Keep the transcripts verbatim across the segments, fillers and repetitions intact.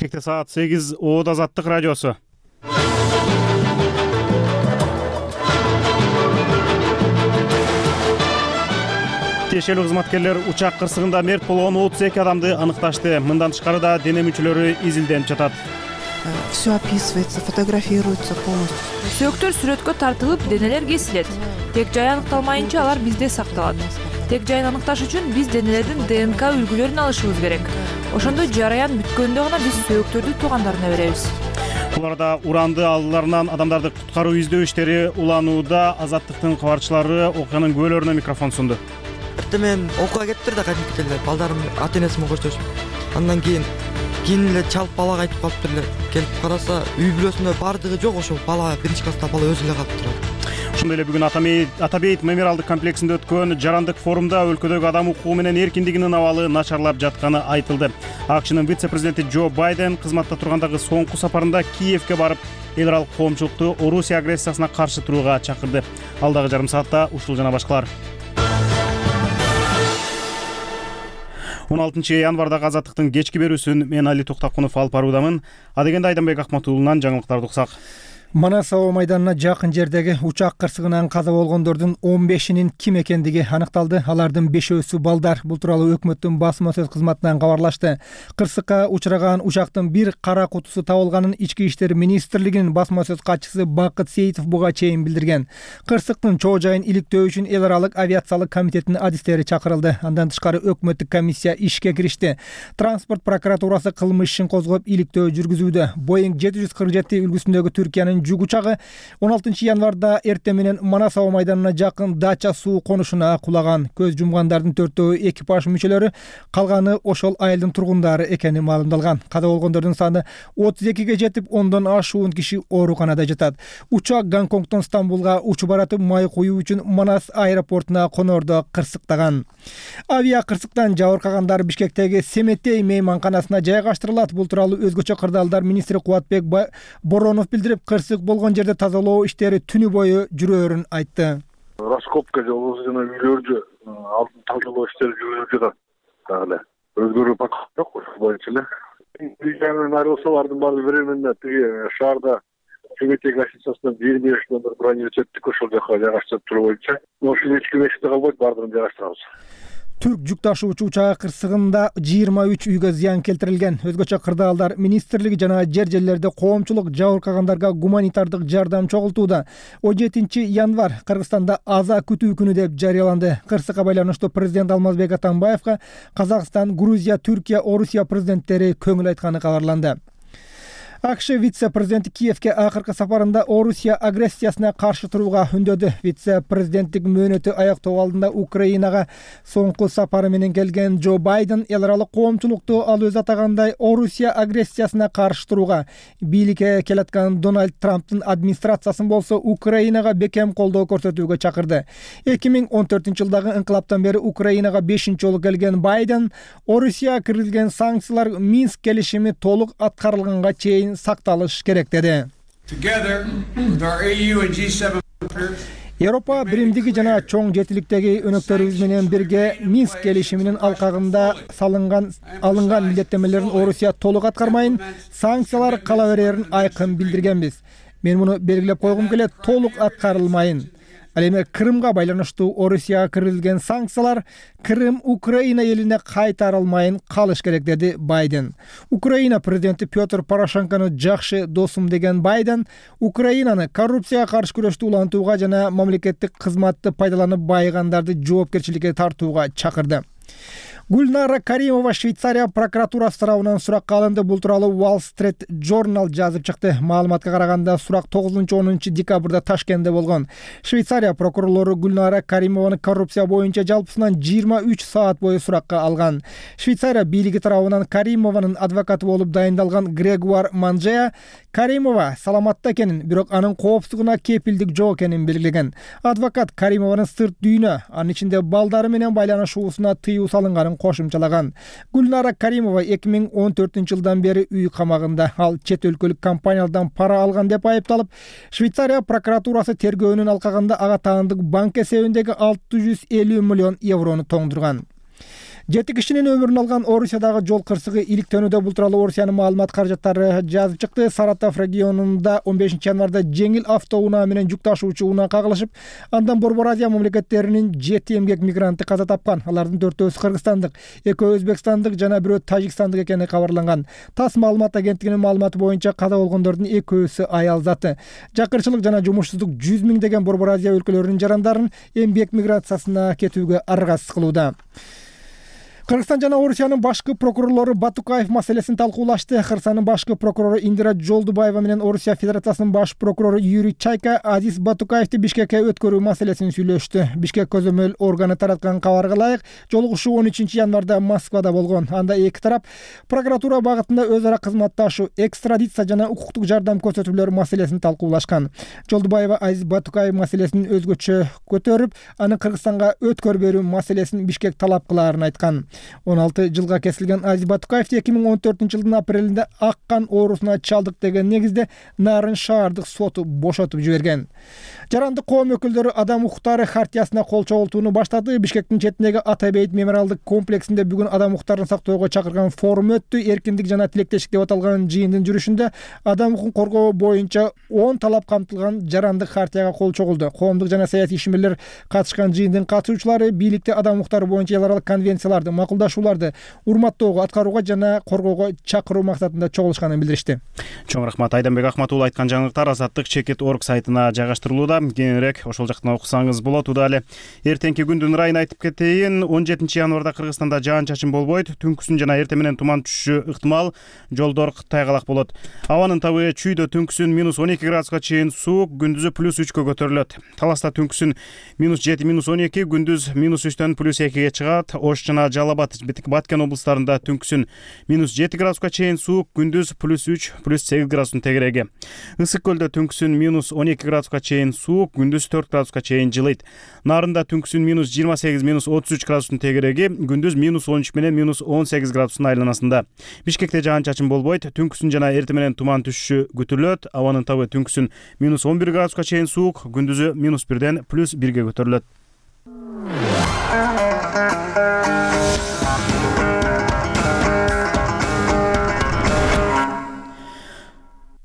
Бишкекте саат сегиз. Оод Азаттык радиосу. Тиешелүү кызматкерлер учак кырсыгында мерт болгон отуз эки адамды аныкташты. Мындан тышкары да дене мүчөлөрү изилденип жатат. Все описывается, фотографируется полностью. Сөөктөр сүрөткө тартылып, денелер кесилет. Тек жай аныкталмайынча алар бизде сакталат. Тек жайын аныкташ үчүн биз денелердин ДНК үлгүлөрүн алышыбыз керек. Ошондо жараян бүткөндө гана биз сөөктөрдү туугандарына беребиз. Буларда уранды алууларынан адамдарды куткаруу издөө иштери уланууда. Азаттыктын кабарчылары окуянын күбөлөрүнө микрофон сунду. Мен окууга кетиптир да кадимки эле балдарым ата энеси менен коштошуп. Андан кийин кийин эле чалып балага айтып калыптыр эле. Келип караса үй бүлөсүндө бардыгы жок, ошол бала биринчи класста бала өзү эле калып турат. Ошондой эле бүгүн Атабейт мемориалдык комплексинде өткөн жарандык форумда өлкөдөгү адам укугу менен эркиндигинин абалы начарлап жатканы айтылды. АКШнын вице-президенти Джо Байден кызматта тургандагы соңку сапарында Киевке барып, эл аралык коомчулукту Орусия агрессиясына каршы турууга чакырды. Алдагы жарым саатта ушул жана башкалар. он алтынчы январдагы Азаттыктын кечки берүүсүн мен Али Токтакунов алып баруудамын. Адегенде Айданбек Акматуулунан жаңылыктарды уксак. Манас аба майданына жакын жердеги учак кырсыгынан каза болгондордун он бешинин ким экендиги аныкталды. Алардын бешөөсү балдар. Бул тууралуу өкмөттүн басма сөз кызматынан кабарлашты. Кырсыкка учураган учактын бир кара кутусу табылганын Ички иштер министрлигинин басма сөз катчысы Бакыт Сейитов буга чейин билдирген. Кырсыктын чоо жайын иликтөө үчүн эл аралык авиациялык комитеттин адистери чакырылды. Андан тышкары өкмөттүк комиссия ишке киришти. Транспорт прокуратурасы кылмыш ишин козгоп иликтөө жүргүзүүдө. Боинг жети жүз кырк жети үлгүсүндөгү Түркиянын жүк учагы он алтынчы январда эртең менен Манас аба майданына жакын Дача суу конушуна кулаган. Көз жумгандардын төртөө экипаж мүчөлөрү, калганы ошол айылдын тургундары экени маалымдалган. Каза болгондордун саны отуз экиге жетип, ондон ашуун киши ооруканада жатат. Учак Гонконгдон Стамбулга учуп баратып, май куюу үчүн Манас аэропортуна конордо кырсыктаган. Авиа кырсыктан жабыркагандар Бишкектеги Семетей мейманканасына жайгаштырылат. Бул тууралуу өзгөчө кырдаалдар министри Кубатбек Боронов билдирип, кырсык болгон жерде тазалоо иштери түнү бою жүрөөрүн айтты. Раскопка жана үйлөрдү алдын тазалоо иштери жүрүп жатат. Дагы өзгөрүү пока жок, ошол боюнча эле. Үйдөн айрылсалардын баары временно тиги шаарда Семетей гостиницасынан жыйырма беш номер бронировать эттик, ошол жака жайгаштырып туруу боюнча. Ошол эч ким эчте калбайт, баардыгын жайгаштырабыз. Түрк жүк ташуучу учагы кырсыгында жыйырма үч үйгө зыян келтирилген. Өзгөчө кырдаалдар министрлиги жана жер жерлерде коомчулук жабыркагандарга гуманитардык жардам чогултууда. он жетинчи январ Кыргызстанда аза күтүү күнү деп жарыяланды. Кырсыкка байланыштуу президент Алмазбек Атамбаевга Казакстан, Грузия, Түркия, Орусия президенттери көңүл айтканы кабарланды. АКШ вице-президенти Киевке акыркы сапарында Орусия агрессиясына каршы турууга үндөдү. Вице-президенттик мөөнөтү аяктоо алдында Украинага соңку сапары менен келген Джо Байден эл аралык коомчулукту ал өзү атагандай Орусия агрессиясына каршы турууга, бийликке келаткан Дональд Трамптын администрациясын болсо Украинага бекем колдоо көрсөтүүгө чакырды. эки миң он төртүнчү жылдагы инкылаптан бери Украинага бешинчи жолу келген Байден Орусияга киргизилген санкциялар Минск келишими толук аткарылганга чейин сакталыш керек деди. Европа биримдиги жана чоң жетиликтеги өнөктөрүбүз менен бирге Минск келишиминин алкагында салынган алынган милдеттенмелерин Орусия толук аткармайын, санкциялар кала берерин айкын билдиргенбиз. Мен муну белгилеп койгум келет, толук аткарылмайын. Ал эми Крымга байланыштуу Орусияга киргизилген санкциялар Крым Украина элине кайтарылмайын калыш керек деди Байден. Украина президенти Петр Порошенкону жакшы досум деген Байден Украинаны коррупцияга каршы күрөштү улантууга жана мамлекеттик кызматты пайдаланып байыгандарды жоопкерчиликке тартууга чакырды. Гульнара Каримова Швейцария прокуратурасы тарабынан суракка алынды. Бул тууралуу Wall Street Journal жазып чыкты. Маалыматка караганда сурак тогузунчу онунчу декабрда Ташкентте болгон. Швейцария прокурорлору Гульнара Каримованы коррупция боюнча жалпысынан жыйырма үч саат бою суракка алган. Швейцария бийлиги тарабынан Каримованын адвокаты болуп дайындалган Грегуар Манжея Каримова саламатта экенин, бирок анын коопсуздугуна кепилдик жок экенин белгилеген. Адвокат Каримованын сырт дүйнө, анын ичинде балдары менен байланышуусуна тыюу салынган кошумчалаган. Гульнара Каримова эки миң он төртүнчү жылдан бери үй камагында. Ал чет өлкөлүк компаниялардан пара алган деп айыпталып, Швейцария прокуратурасы тергөөнүн алкагында ага таандык банк эсебиндеги алты жүз элүү миллион еврону тоңдурган. Жети кишинин өмүрүн алган Орусиядагы жол кырсыгы иликтөөнүдө. Бул тууралуу Орусиянын маалымат каражаттары жазып чыкты. Саратов регионунда он бешинчи январда жеңил автоунаа менен жүк ташуучу унаа кагылышып, андан Борбор Азия мамлекеттеринин жети эмгек мигранты каза тапкан. Алардын төртөөсү кыргызстандык, экөө өзбекстандык жана бирөө тажикстандык экени кабарланган. ТАСС маалымат агенттигинин маалыматы боюнча каза болгондордун экөөсү аял заты. Жакырчылык жана жумушсуздук жүз миңдеген Борбор Азия өлкөлөрүнүн жарандарын эмгек миграциясына кетүүгө аргасыз кылууда. Кыргызстан жана Орусиянын башкы прокурорлору Батукаев маселесин талкуулашты. Кыргызстандын башкы прокурору Индира Жолдубаева менен Орусия Федерациясынын баш прокурору Юрий Чайка Азиз Батукаевди Бишкекке өткөрүү маселесин сүйлөштү. Бишкек көзөмөл органы тараткан кабарга ылайык, жолугушуу он үчүнчү январда Москвада болгон. Анда эки тарап прокуратура багытында өз ара кызматташуу, экстрадиция жана укуктук жардам көрсөтүүлөр маселесин талкуулашкан. Жолдубаева Азиз Батукаев маселесин өзгөчө көтөрүп, анын Кыргызстанга өткөрүп берүү маселесин Бишкек талап кылаарын айткан. он алты жылга кесилген Азиз Батукаев эки миң он төртүнчү жылдын апрелинде ак кан оорусуна чалдык деген негизде Нарын шаардык соту бошотуп жиберген. Жарандык коом өкүлдөрү адам укуктары хартиясына кол чогултууну баштады. Бишкектин четиндеги Атабейт мемориалдык комплексинде бүгүн адам укуктарын сактоого чакырган форум өттү. Эркиндик жана тилектештик деп аталган жыйындын жүрүшүндө адам укугун коргоо боюнча он талап камтылган жарандык хартияга кол чогулду. Коомдук жана саясий ишмерлер катышкан жыйындын катышуучулары бийликте адам укуктары боюнча эл аралык конвенцияларды, макулдашууларды урматтоого, аткарууга жана коргоого чакыруу максатында чогулушканын билдиришти. Чоң рахмат. Айданбек Ахматуулу айткан жаңылыктар Азаттык чекит точка орг сайтына жайгаштырылууда. Кененирээк ошол жактан окусаңыз болот. Удалы эртеңки күндүн ырайын айтып кетейин. он жетинчи январда Кыргызстанда жаан-чачын болбойт. Түнкүсүн жана эртең менен туман түшүшү ыктымал. Жолдор тайгалак болот. Абанын табы чүйдө түнкүсүн минус он эки градуска чейин суук, күндүзү плюс үчкө көтөрүлөт. Таласта түнкүсүн минус жети минус он эки, күндүз минус үчтөн плюс экиге чыгат. Ош жана Жалал абад, Баткен облустарында түнкүсүн минус жети градуска чейин суук, күндүз плюс үч плюс сегиз градустун тегереги. Ысык көлдө түнкүсүн минус он эки градуска чейин суук, күндүз төрт градуска чейин жылыйт. Нарында түнкүсүн минус жыйырма сегиз минус отуз үч градустун тегереги, күндүз минус он үч менен минус он сегиз градустун айланасында. Бишкекте жаан-чачын болбойт. Түнкүсүн жана эртең менен туман түшүшү күтүлөт. Абанын табы түнкүсүн минус он бир градуска чейин суук, күндүзү минус бирден плюс бирге көтөрүлөт.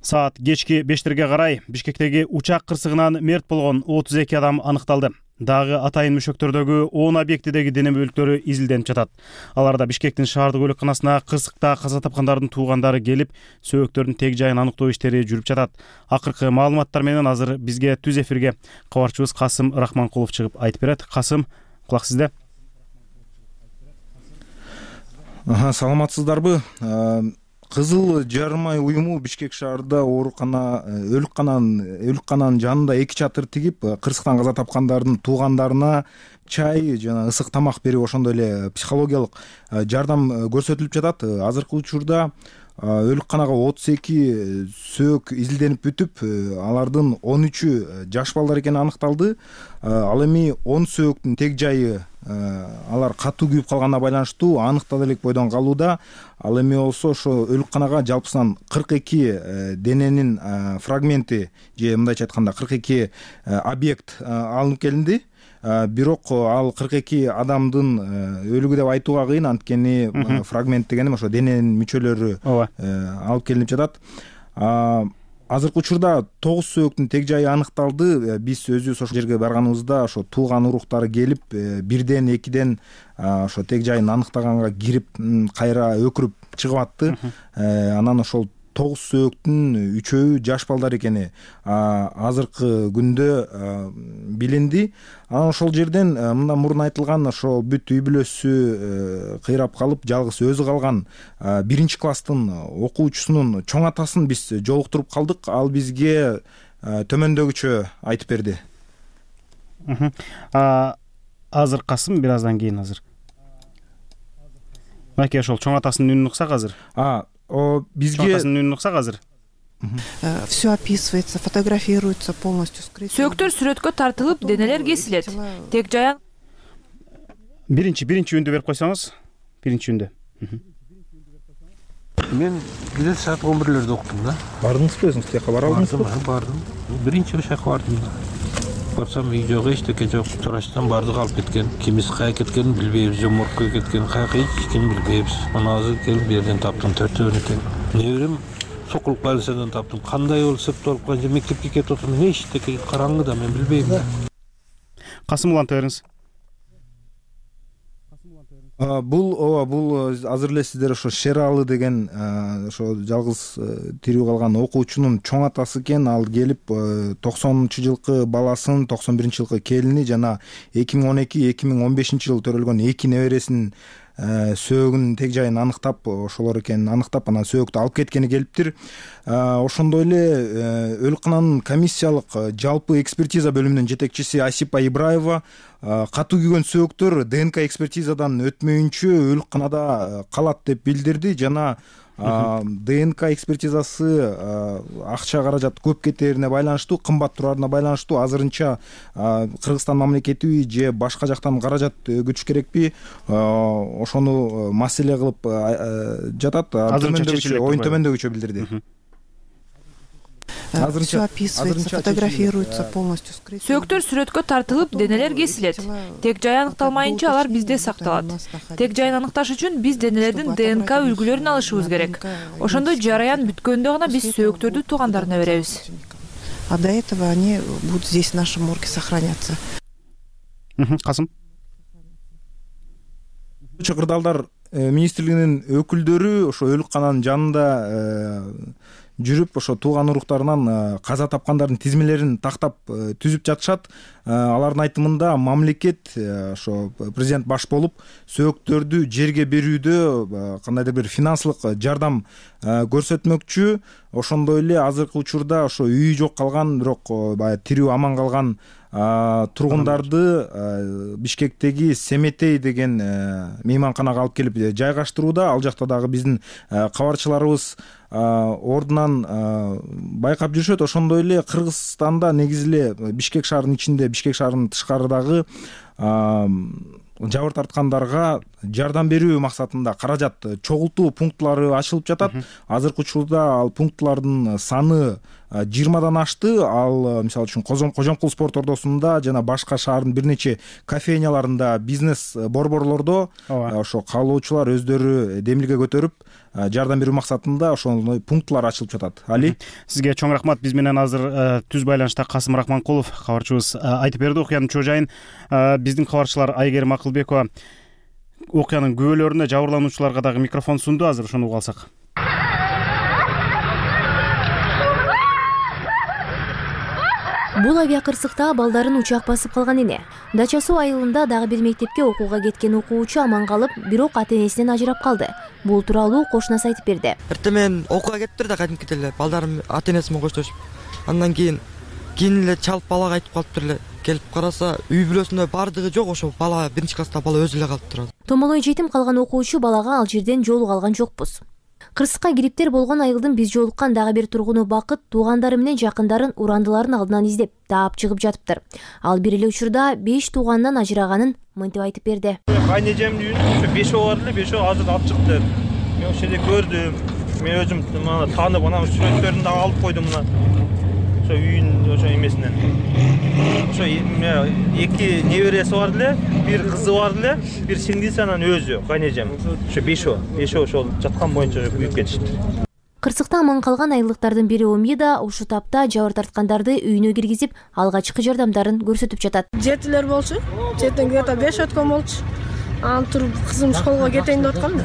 Саат кечки бештерге карай Бишкектеги учак кырсыгынан мерт болгон отуз эки адам аныкталды. Дагы атайын мөшөктөрдөгү он объектидеги дене бөлүктөрү изилденип жатат. Аларда Бишкектин шаардык өлөкканасына кырсыкта каза тапкандардын туугандары келип, сөөгөктөрдүн тег жайын аныктоо иштери жүрүп жатат. Акыркы маалыматтар менен азыр бизге түз эфирге кабарчыбыз Касым Рахманкулов чыгып айтып берет. Касым, кулак сизде. Саламатсыздарбы? Кызыл жарымай уюму Бишкек шаарында оорукана өлүккананын өлүккананын жанында эки чатыр тигип, кырсыктан каза тапкандардын туугандарына чай жана ысык тамак берип, ошондой эле психологиялык жардам көрсөтүлүп жатат. Азыркы учурда өлүкканага отуз эки сөөк изилденип бүтүп, алардын он үчү жаш балдар экени аныкталды. Ал эми он сөөктүн тег жайы алар катуу күйүп калганына байланыштуу аныктала элек бойдон калууда. Ал эми болсо ошо өлүкканага жалпысынан кырк эки дененин фрагменти же мындайча айтканда кырк эки объект алынып келинди. Бирок ал кырк эки адамдын өлүгү деп айтууга кыйын, анткени фрагмент дегеним ошо дененин мүчөлөрү алып келинип жатат. Азыркы учурда тогуз сөөктүн тег жайы аныкталды. Биз өзүбүз ошол жерге барганыбызда ошо тууган уруктары келип, бирден экиден ошо тег жайын аныктаганга кирип, кайра өкүрүп чыгып атты. Анан ошол тогуз сөөктүн үчөөү жаш балдар экени азыркы күндө билинди. Анан ошол жерден мындан мурун айтылган ошол бүт үй бүлөсү кыйрап калып, жалгыз өзү калган биринчи класстын окуучусунун чоң атасын биз жолуктуруп калдык. Ал бизге төмөндөгүчө айтып берди. Азыр Касым, бир аздан кийин азыр. Мынакей ошол чоң атасынын үнүн уксак азыр. А О, бизге чоң үнүн уксак азыр. Все описывается, фотографируется полностью скрыто. Сөөктөр сүрөткө тартылып, денелер кесилет. Тег жаян. Биринчи, биринчи үндү берип койсоңуз. Биринчи үндү. Мен бир саат он бирлерде уктум да. Бардыңызбы өзүңүз? Тияка бара алдыңызбы? Бардым. Биринчи ошол жака бардым. барсам үй жок, эчтеке жок. Чурачтан бардыгы алып кеткен. Кимиси каяка кеткенин билбейбиз, жоморкко кеткен, каяка эчкини билбейбиз. Мына азыр келип бу жерден таптым, төртөөнү экен. Неберем сокулуп больницадан таптым. Кандай болуп септелип калган же мектепке кетип отурмун, эчтеке караңгыда мен билбейм. Касым уланта бериңиз. Бул ооба бул азыр эле сиздер ошо Шералы деген ошо жалгыз тирүү калган окуучунун чоң атасы экен. Ал келип токсонунчу жылкы баласын, токсон биринчи жылкы келини жана эки миң он эки эки миң он бешинчи жылы төрөлгөн эки небересинин сөөгүнүн тег жайын аныктап, ошолор экенин аныктап, анан сөөктү алып кеткени келиптир. Ошондой эле өлкөнүн комиссиялык жалпы экспертиза бөлүмүнүн жетекчиси Асипа Ибраева катуу күйгөн сөөктөр ДНК экспертизадан өтмөйүнчө өлкөнүдө калат деп билдирди жана ДНК экспертизасы акча каражат көп кетерине байланыштуу, кымбат турарына байланыштуу азырынча Кыргызстан мамлекетиби же башка жактан каражат өгүтүш керекпи, ошону маселе кылып жатат. Оюн төмөндөгүчө билдирди. Все описывается, фотографируется полностью скрыто. Сөөктөр сүрөткө тартылып, денелер кесилет. Тек жай аныкталмайынча алар бизде сакталат. Тек жайын аныкташ үчүн биз денелердин ДНК үлгүлөрүн алышыбыз керек. Ошондо жараян бүткөндө гана биз сөөктөрдү туугандарына беребиз. А до этого они будут здесь в нашем морге сохраняться. Касым. Кырдаалдар министрлигинин өкүлдөрү ошо өлкөнүн жанында жүрүп, ошо тууган уруктарынан каза тапкандардын тизмелерин тактап түзүп жатышат. Алардын айтымында мамлекет ошо президент баш болуп сөөктөрдү жерге берүүдө кандайдыр бир финансылык жардам көрсөтмөкчү. Ошондой эле азыркы учурда ошо үйү жок калган, бирок баягы тирүү аман калган тургундарды Бишкектеги Семетей деген мейманканага алып келип жайгаштырууда. Ал жакта дагы биздин кабарчыларыбыз ордунан байкап жүрүшөт. Ошондой эле Кыргызстанда негизи эле Бишкек шаарынын ичинде, Бишкек шаарынын тышкарыдагы жабыр тарткандарга жардам берүү максатында каражат чогултуу пунктлары ачылып жатат. Азыркы учурда ал пунктлардын саны жыйырмадан ашты. Ал мисалы үчүн Кожомкул спорт ордосунда жана башка шаардын бир нече кафейняларында, бизнес борборлордо ошо каалоочулар өздөрү демилге көтөрүп жардам берүү максатында ошондой пунктлар ачылып жатат. Али, сизге чоң рахмат. Биз менен азыр түз байланышта Касым Рахманкулов кабарчыбыз айтып берди окуянын чоо жайын. Биздин кабарчылар Айгерим Акылбекова окуянын күбөлөрүнө, жабырлануучуларга дагы микрофон сунду. Азыр ошону угуп алсак. Бул авиакырсыкта балдарын учак басып калган эне. Дача Суу айылында дагы бир мектепке окууга кеткен окуучу аман калып, бирок ата-энесинен ажырап калды. Бул тууралуу кошунасы айтып берди. Эртең мен окууга кеттир да кадимки эле балдарым ата-энеси менен коштошуп. Андан кийин кийин эле чалып балага айтып калыптыр эле. Келип караса, үй бүлөсүндө бардыгы жок, ошо бала биринчи класста бала өзү эле калып турат. Томолой жетим калган окуучу балага ал жерден жолуга алган жокпуз. Кырсыкка кириптер болгон айылдын биз жолуккан дагы бир тургуну Бакыт туугандары менен жакындарын урандыларын алдынан издеп таап чыгып жатыптыр. Ал бир эле учурда беш тууганынан ажыраганын мынтип айтып берди. Кайнежемдин үйүнө ошо бешөө бар эле, бешөө азыр алып чыкты. Мен ошол жерде көрдүм. Мен өзүм мына таанып, анан сүрөттөрүн дагы алып койдум мына. Ошо үйүн ошо эмесинен. Ошо эки небереси бар эле, бир кызы бар эле, бир сиңдиси, анан өзү кайнежем. Ошо бешөө, бешөө ошол жаткан боюнча үйүп кетишти. Кырсыкта аман калган айылдыктардын бири Оми да ушул тапта жабыр тарткандарды үйүнө киргизип, алгачкы жардамдарын көрсөтүп жатат. Жетилер болчу, жетен где-то беш өткөн болчу. Анан туруп кызым школго кетейин деп аткан да.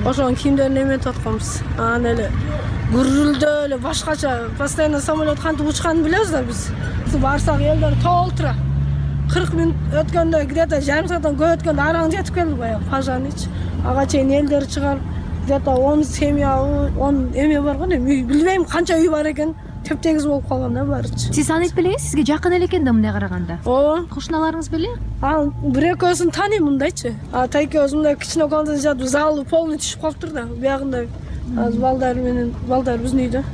Ошонун кийимдерин эметип атканбыз. Анан эле гүрүлдөө эле башкача, постоянно самолет кантип учканын билебиз да биз. Барсак элдер толтура. кырк мүнөт өткөндө, где-то жарым сааттан көп өткөндө араң жетип келди баягы пожарныйчы. Ага чейин элдер чыгарып, где-то он семья, он эме бар го, билбейм канча үй бар экен. Теп-тегиз болуп калган да баарычы. Сиз аны айтпелеңиз, сизге жакын эле экен да мындай караганда. Ооба. Кошуналарыңыз беле? А, бир экөөсүн тааныйм мындайчы. А тайкебиз мындай кичине комнатада жатып, залы полный түшүп калыптыр да. Биягында азыр балдар менен, балдар биздин үйдө.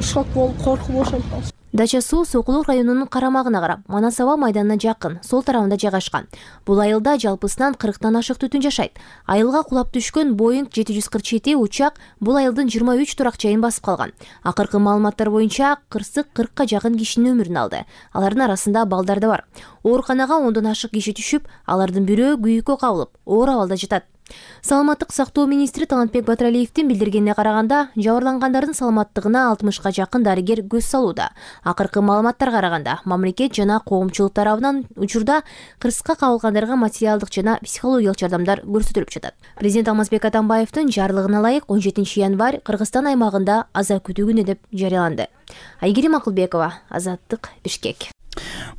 Шок болуп, коркуп ошентип калды. Дача суу Сокулук районунун карамагына карап, Манас аба майданына жакын, сол тарабында жайгашкан. Бул айылда жалпысынан кырктан ашык түтүн жашайт. Айылга кулап түшкөн Боинг жети жүз кырк жети учак бул айылдын жыйырма үч турак жайын басып калган. Акыркы маалыматтар боюнча кырсык кыркка жакын кишинин өмүрүн алды. Алардын арасында балдар да бар. Ооруканага ондон ашык киши түшүп, алардын бирөө күйүккө кабылып, оор абалда жатат. Саламаттык сактоо министри Талантбек Батыралиевдин билдиргенине караганда, жабырлангандардын саламаттыгына алтымышка жакын дарыгер көз салууда. Акыркы маалыматтарга караганда, мамлекет жана коомчулук тарабынан учурда кырсыкка кабылгандарга материалдык жана психологиялык жардамдар көрсөтүлүп жатат. Президент Алмазбек Атамбаевдин жарлыгына ылайык он жетинчи январь Кыргызстан аймагында аза күтүү күнү деп жарыяланды. Айгерим Акылбекова, Азаттык, Бишкек.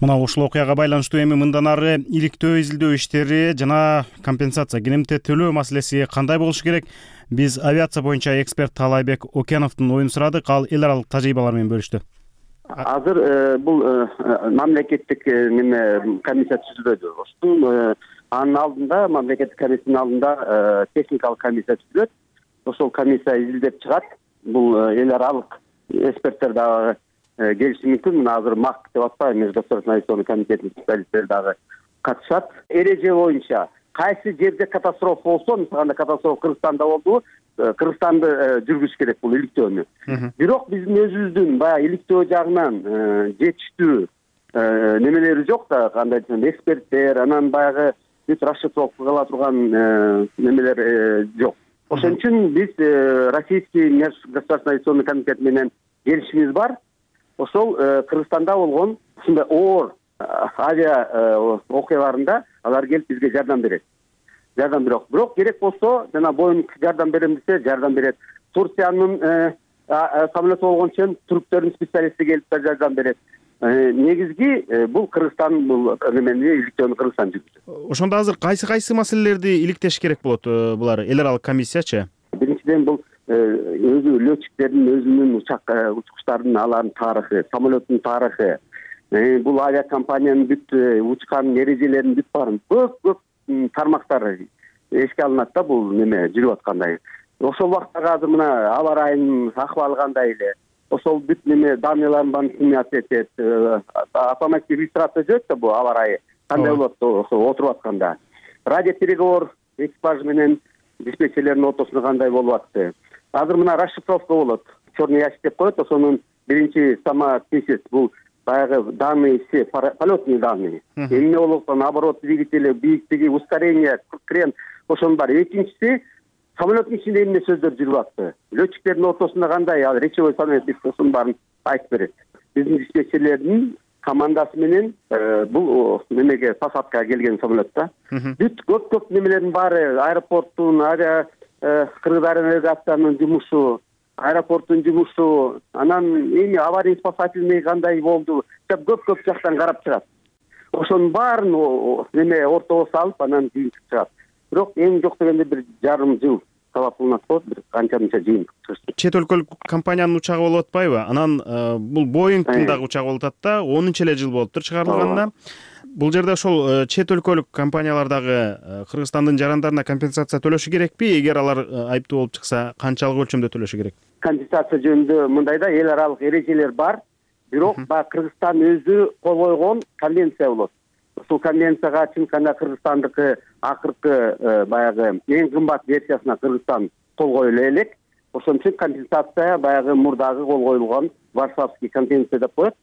Мына ушул окуяга байланыштуу эми мындан ары иликтөө изилдөө иштери жана компенсация кенемте төлөө маселеси кандай болушу керек? Биз авиация боюнча эксперт Таалайбек Океановдун оюн сурадык, ал эл аралык тажрыйбалар менен бөлүштү. Азыр бул мамлекеттик неме комиссия түзүлөдү. Ошол анын алдында мамлекеттик комиссиянын алдында техникалык комиссия түзүлөт. Ошол комиссия изилдеп чыгат. Бул эл аралык эксперттер дагы келиши мүмкүн. Мына азыр МАК деп атпайбы, Межгосударственный авиационный комитеттин специалисттери дагы катышат. Эреже боюнча кайсы жерде катастрофа болсо, мисалы катастрофа Кыргызстанда болду, Кыргызстанды жүргүзүш керек бул иликтөөнү. Бирок биздин өзүбүздүн баягы иликтөө жагынан жетиштүү немелери жок да, кандай десем, эксперттер, анан баягы бүт расшифровка кыла турган немелер жок. Ошон үчүн биз Российский Межгосударственный авиационный комитет менен келишимиз бар. Ошол Кыргызстанда болгон ушундай оор авиа окуяларында алар келип бизге жардам берет. Жардам бирок, бирок керек болсо, жана Боинг жардам берем десе, жардам берет. Турциянын самолету болгон үчүн түрктөрдүн специалисти келип жардам берет. Негизги бул Кыргызстан бул немени иликтөөнү Кыргызстан жүргүзөт. Ошондо азыр кайсы кайсы маселелерди иликтеш керек болот булар эл аралык комиссиячы? Биринчиден бул өзү летчиктердин өзүнүн учак учкучтардын алардын тарыхы, самолеттун тарыхы, бул авиакомпаниянын бүт учкан эрежелеринин бүт баарын көп көп тармактары эске алынат да бул неме жүрүп аткандай. Ошол убакта азыр мына аба ырайынын акыбалы кандай эле, ошол бүт неме данныйларын баарын снимать этет, автоматический регистрация жүрөт да бул аба ырайы кандай болот ошо отуруп атканда. Радиопереговор экипаж менен диспетчерлердин ортосунда кандай болуп атты. Азыр мына расшифровка болот. Черный ящик деп коет, ошонун биринчи самописец бул баягы данные все, полетные данные. Эмне болуп аткан, оборот двигателя, бийиктиги, ускорение, крен, ошонун баары. Экинчиси, самолеттун ичинде эмне сөздөр жүрүп атты. Летчиктердин ортосунда кандай, ал речевой самолет ошонун баарын айтып берет. Биздин диспетчерлердин командасы менен бул немеге посадкага келген самолетта бүт көп-көп немелердин баары, аэропорттун, авиа Кыргыз авианавигациянын жумушу, аэропорттун жумушу, анан эми аварий спасательный кандай болду, көп-көп жактан карап чыгат. Ошонун баарын неме ортого салып, анан кийин чыгат. Бирок эң жок дегенде бир жарым жыл талап кылынат болот, бир канча-мынча жыйын. Чет өлкөлүк компаниянын учагы болуп атпайбы? Анан бул Боингдин дагы учагы болуп атат да, онунчу эле жыл болуптур чыгарылганына. Бул жерде ошол чет өлкөлүк компаниялар дагы Кыргызстандын жарандарына компенсация төлөшү керекпи? Эгер алар айыптуу болуп чыкса, канчалык өлчөмдө төлөшү керек? Компенсация жөнүндө мындайда эл аралык эрежелер бар, бирок баягы Кыргызстан өзү кол койгон конвенция болот. Ушул конвенцияга чынканда Кыргызстандыкы акыркы баягы эң кымбат версиясына Кыргызстан кол коюла элек. Ошон үчүн компенсация баягы мурдагы кол коюлган Варшавский конвенция деп коет.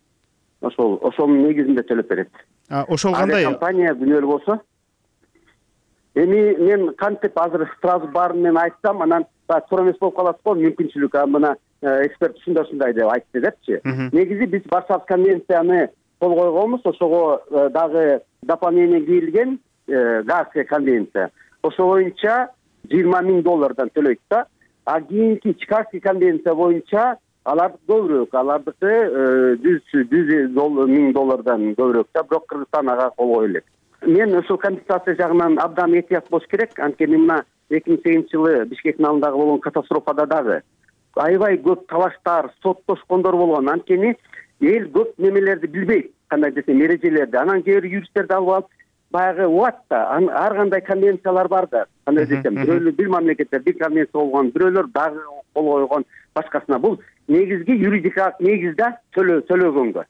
Ошол ошонун негизинде төлөп берет. А ошол кандай? Компания күнөөлүү болсо. Эми мен кантип азыр сразу баарын мен айтсам, анан туура эмес болуп калат го, мүмкүнчүлүк. А мына эксперт ушундай ушундай деп айтты депчи. Негизи биз Варшавский конвенцияны кол койгонбуз, ошого дагы дополнение кийилген Гаагская конвенция. Ошо боюнча жыйырма миң доллардан төлөйт да. А кийинки Чикагский конвенция боюнча алар көбүрөөк, алардыкы жүз миң доллардан көбүрөөк да, бирок Кыргызстан ага кол кое элек. Мен ошол компенсация жагынан абдан этият болуш керек. Анткени мына эки миң сегизинчи жылы Бишкек айылындагы болгон катастрофада дагы аябай көп талаштар, соттошкондор болгон. Анткени эл көп немелерди билбейт, кандай десем, эрежелерди. Анан кээ бир юристтерди алып алып, баягы убат да, ар кандай конвенциялар бар да, кандай десем, бирөөлөр бир мамлекеттер бир конвенция болгон, бирөөлөр дагы кол койгон башкасына. Бул негизги юридикалык негизде төлөгөнгө.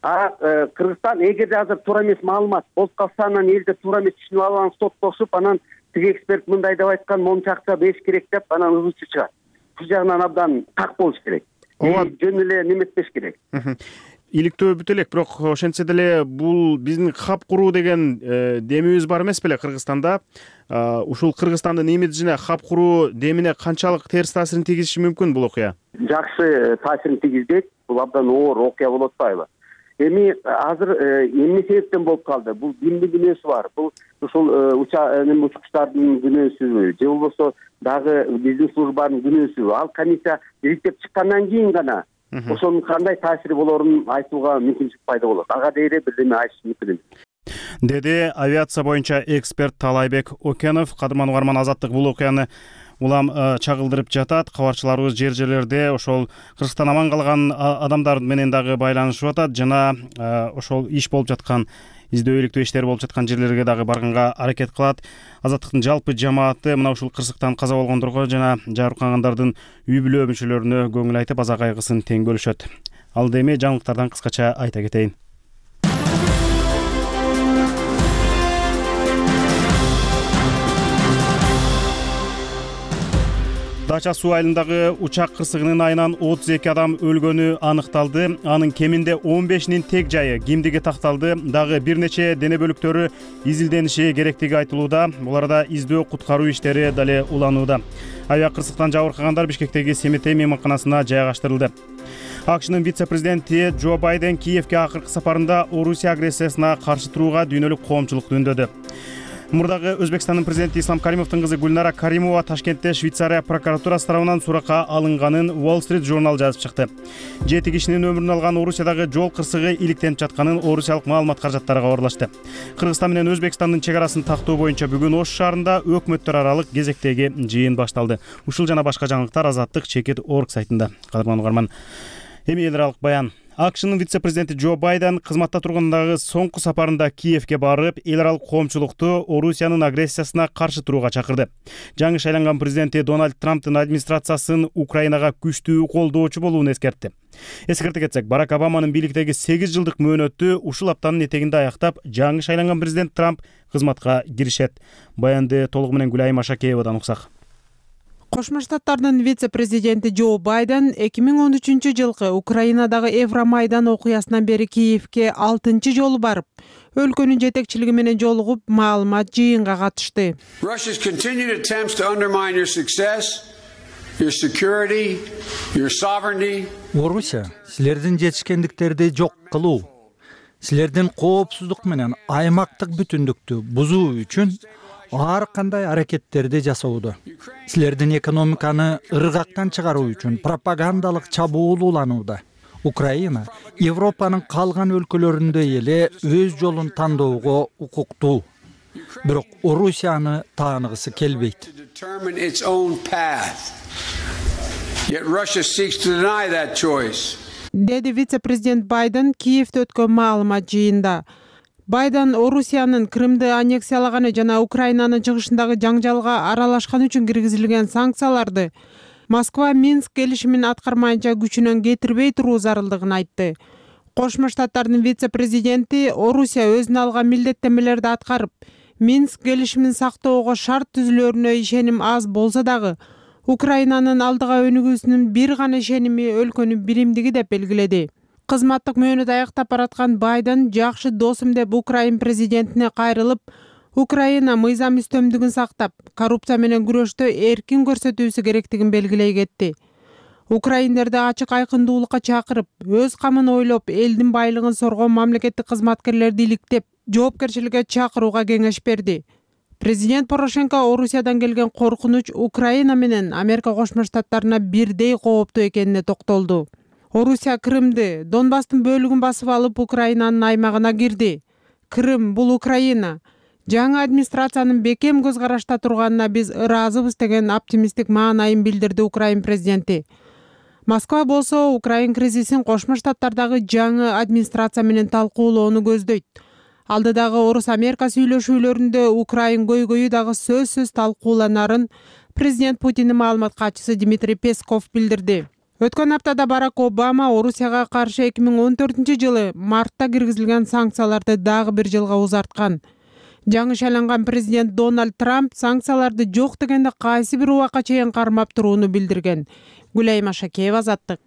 А Кыргызстан эгерде азыр туура эмес маалымат болуп калса, анан элдер туура эмес түшүнүп алган, стоп кошуп, анан тиги эксперт мындай деп айткан, монча акча бериш керек деп, анан ызычы чыгат. Бул жагынан абдан так болуш керек. Жөн эле неметпеш керек. Иликтөө бүт элек, бирок ошентсе деле бул биздин хаб куруу деген демибиз бар эмес беле Кыргызстанда? Ушул Кыргызстандын имиджине хаб куруу демине канчалык терс таасирин тийгизиши мүмкүн бул окуя? Жакшы таасирин тийгизбейт. Бул абдан оор окуя болуп атпайбы? Эми азыр эмне себептен болуп калды? Бул кимдин күнөөсү бар? Бул ушул учкучтардын күнөөсүбү же болбосо дагы биздин службанын күнөөсүбү? Ал комиссия ириктеп чыккандан кийин гана ошонун кандай таасири болорун айтууга мүмкүнчүлүк пайда болот. Ага дейре бирдеме айтыш мүмкүн эмес. Деди авиация боюнча эксперт Талайбек Окенов. Кадырман угарман, Азаттык бул окуяны улам чагылдырып жатат. Кабарчыларыбыз жер жерлерде ошол Кыргызстан аман калган адамдар менен дагы байланышып атат жана ошол иш болуп жаткан, издөөбөлүктүү иштер болуп жаткан жерлерге дагы барганга аракет кылат. Азаттыктын жалпы жамааты мына ушул кырсыктан каза болгондорго жана жабыркагандардын үй бүлө мүчөлөрүнө көңүл айтып, аза кайгысын тең бөлүшөт. Ал эми жаңылыктардан кыскача айта кетейин. Дача суу айылындагы учак кырсыгынын айынан отуз эки адам өлгөнү аныкталды. Анын кеминде он бешинин тег жайы кимдиги такталды. Дагы бир нече дене бөлүктөрү изилдениши керектиги айтылууда. Буларда издөө куткаруу иштери дале уланууда. Авиа кырсыктан жабыркагандар Бишкектеги Семетей мейманканасына жайгаштырылды. АКШнын вице-президенти Джо Байден Киевке акыркы сапарында Орусия агрессиясына каршы турууга дүйнөлүк коомчулукту үндөдү. Мурдагы Өзбекстандын президенти Ислам Каримовдун кызы Гүлнара Каримова Ташкентте Швейцария прокуратурасы тарабынан суракка алынганын Wall Street Journal жазып чыкты. Жети кишинин өмүрүн алган Орусиядагы жол кырсыгы иликтенип жатканын орусиялык маалымат каражаттары кабарлашты. Кыргызстан менен Өзбекстандын чек арасын тактоо боюнча бүгүн Ош шаарында өкмөттөр аралык кезектеги жыйын башталды. Ушул жана башка жаңылыктар Азаттык чекит точка орг сайтында. Кадырман угарман, эми эл аралык баян. АКШнын вице-президенти Джо Байден кызматта тургандагы соңку сапарында Киевке барып, эл аралык коомчулукту Орусиянын агрессиясына каршы турууга чакырды. Жаңы шайланган президенти Дональд Трамптын администрациясын Украинага күчтүү колдоочу болуун эскертти. Эскерте кетсек, Барак Обаманын бийликтеги сегиз жылдык мөөнөтү ушул аптанын этегинде аяктап, жаңы шайланган президент Трамп кызматка киришет. Баянды толугу менен Гүлайым Ашакеевадан уксак. Кошмо Штаттардын вице-президенти Джо Байден эки миң он үчүнчү жылкы Украинадагы Евромайдан окуясынан бери Киевке алтынчы жолу барып, өлкөнүн жетекчилиги менен жолугуп, маалымат жыйынга катышты. Орусия силердин жетишкендиктерди жок кылуу, силердин коопсуздук менен аймактык бүтүндүктү бузуу үчүн ар кандай аракеттерди жасоодо. Силердин экономиканы ыргактан чыгаруу үчүн пропагандалык чабуул уланууда. Украина Европанын калган өлкөлөрүндөй эле өз жолун тандоого укуктуу. Бирок Орусияны тааныгысы келбейт. Деди вице-президент Байден Киевде өткөн маалымат жыйында. Байден Орусиянын Крымды аннексиялаганы жана Украинанын чыгышындагы жаңжалга аралашкан үчүн киргизилген санкцияларды Москва Минск келишимин аткармайынча күчүнөн кетирбей туруу зарылдыгын айтты. Кошмо Штаттардын вице-президенти Орусия өзүнө алган милдеттенмелерди аткарып, Минск келишимин сактоого шарт түзүлөрүнө ишеним аз болсо дагы, Украинанын алдыга өнүгүүсүнүн бир гана ишеними өлкөнүн биримдиги деп белгиледи. Кызматтык мөөнөт аяктап бараткан Байден жакшы досум деп Украин президентине кайрылып, Украина мыйзам үстөмдүгүн сактап, коррупция менен күрөштө эркин көрсөтүүсү керектигин белгилей кетти. Украиндерди ачык айкындуулукка чакырып, өз камын ойлоп, элдин байлыгын соргон мамлекеттик кызматкерлерди иликтеп, жоопкерчиликке чакырууга кеңеш берди. Президент Порошенко Орусиядан келген коркунуч Украина менен Америка Кошмо Штаттарына бирдей кооптуу экенине токтолду. Орусия Крымды, Донбасстын бөлүгүн басып алып, Украинанын аймагына кирди. Крым — бул Украина. Жаңы администрациянын бекем көз карашта турганына биз ыраазыбыз деген оптимисттик маанайын билдирди Украин президенти. Москва болсо Украин кризисин Кошмо Штаттардагы жаңы администрация менен талкуулоону көздөйт. Алдыдагы Орус-Америка сүйлөшүүлөрүндө Украин көйгөйү дагы сөзсүз талкууланарын президент Путиндин маалымат катчысы Дмитрий Песков билдирди. Өткөн аптада Барак Обама Орусияга каршы эки миң он төртүнчү жылы мартта киргизилген санкцияларды дагы бир жылга узарткан. Жаңы шайланган президент Дональд Трамп санкцияларды жок дегенде кайсы бир убакка чейин кармап турууну билдирген. Гүлайма Шакеева, Азаттык.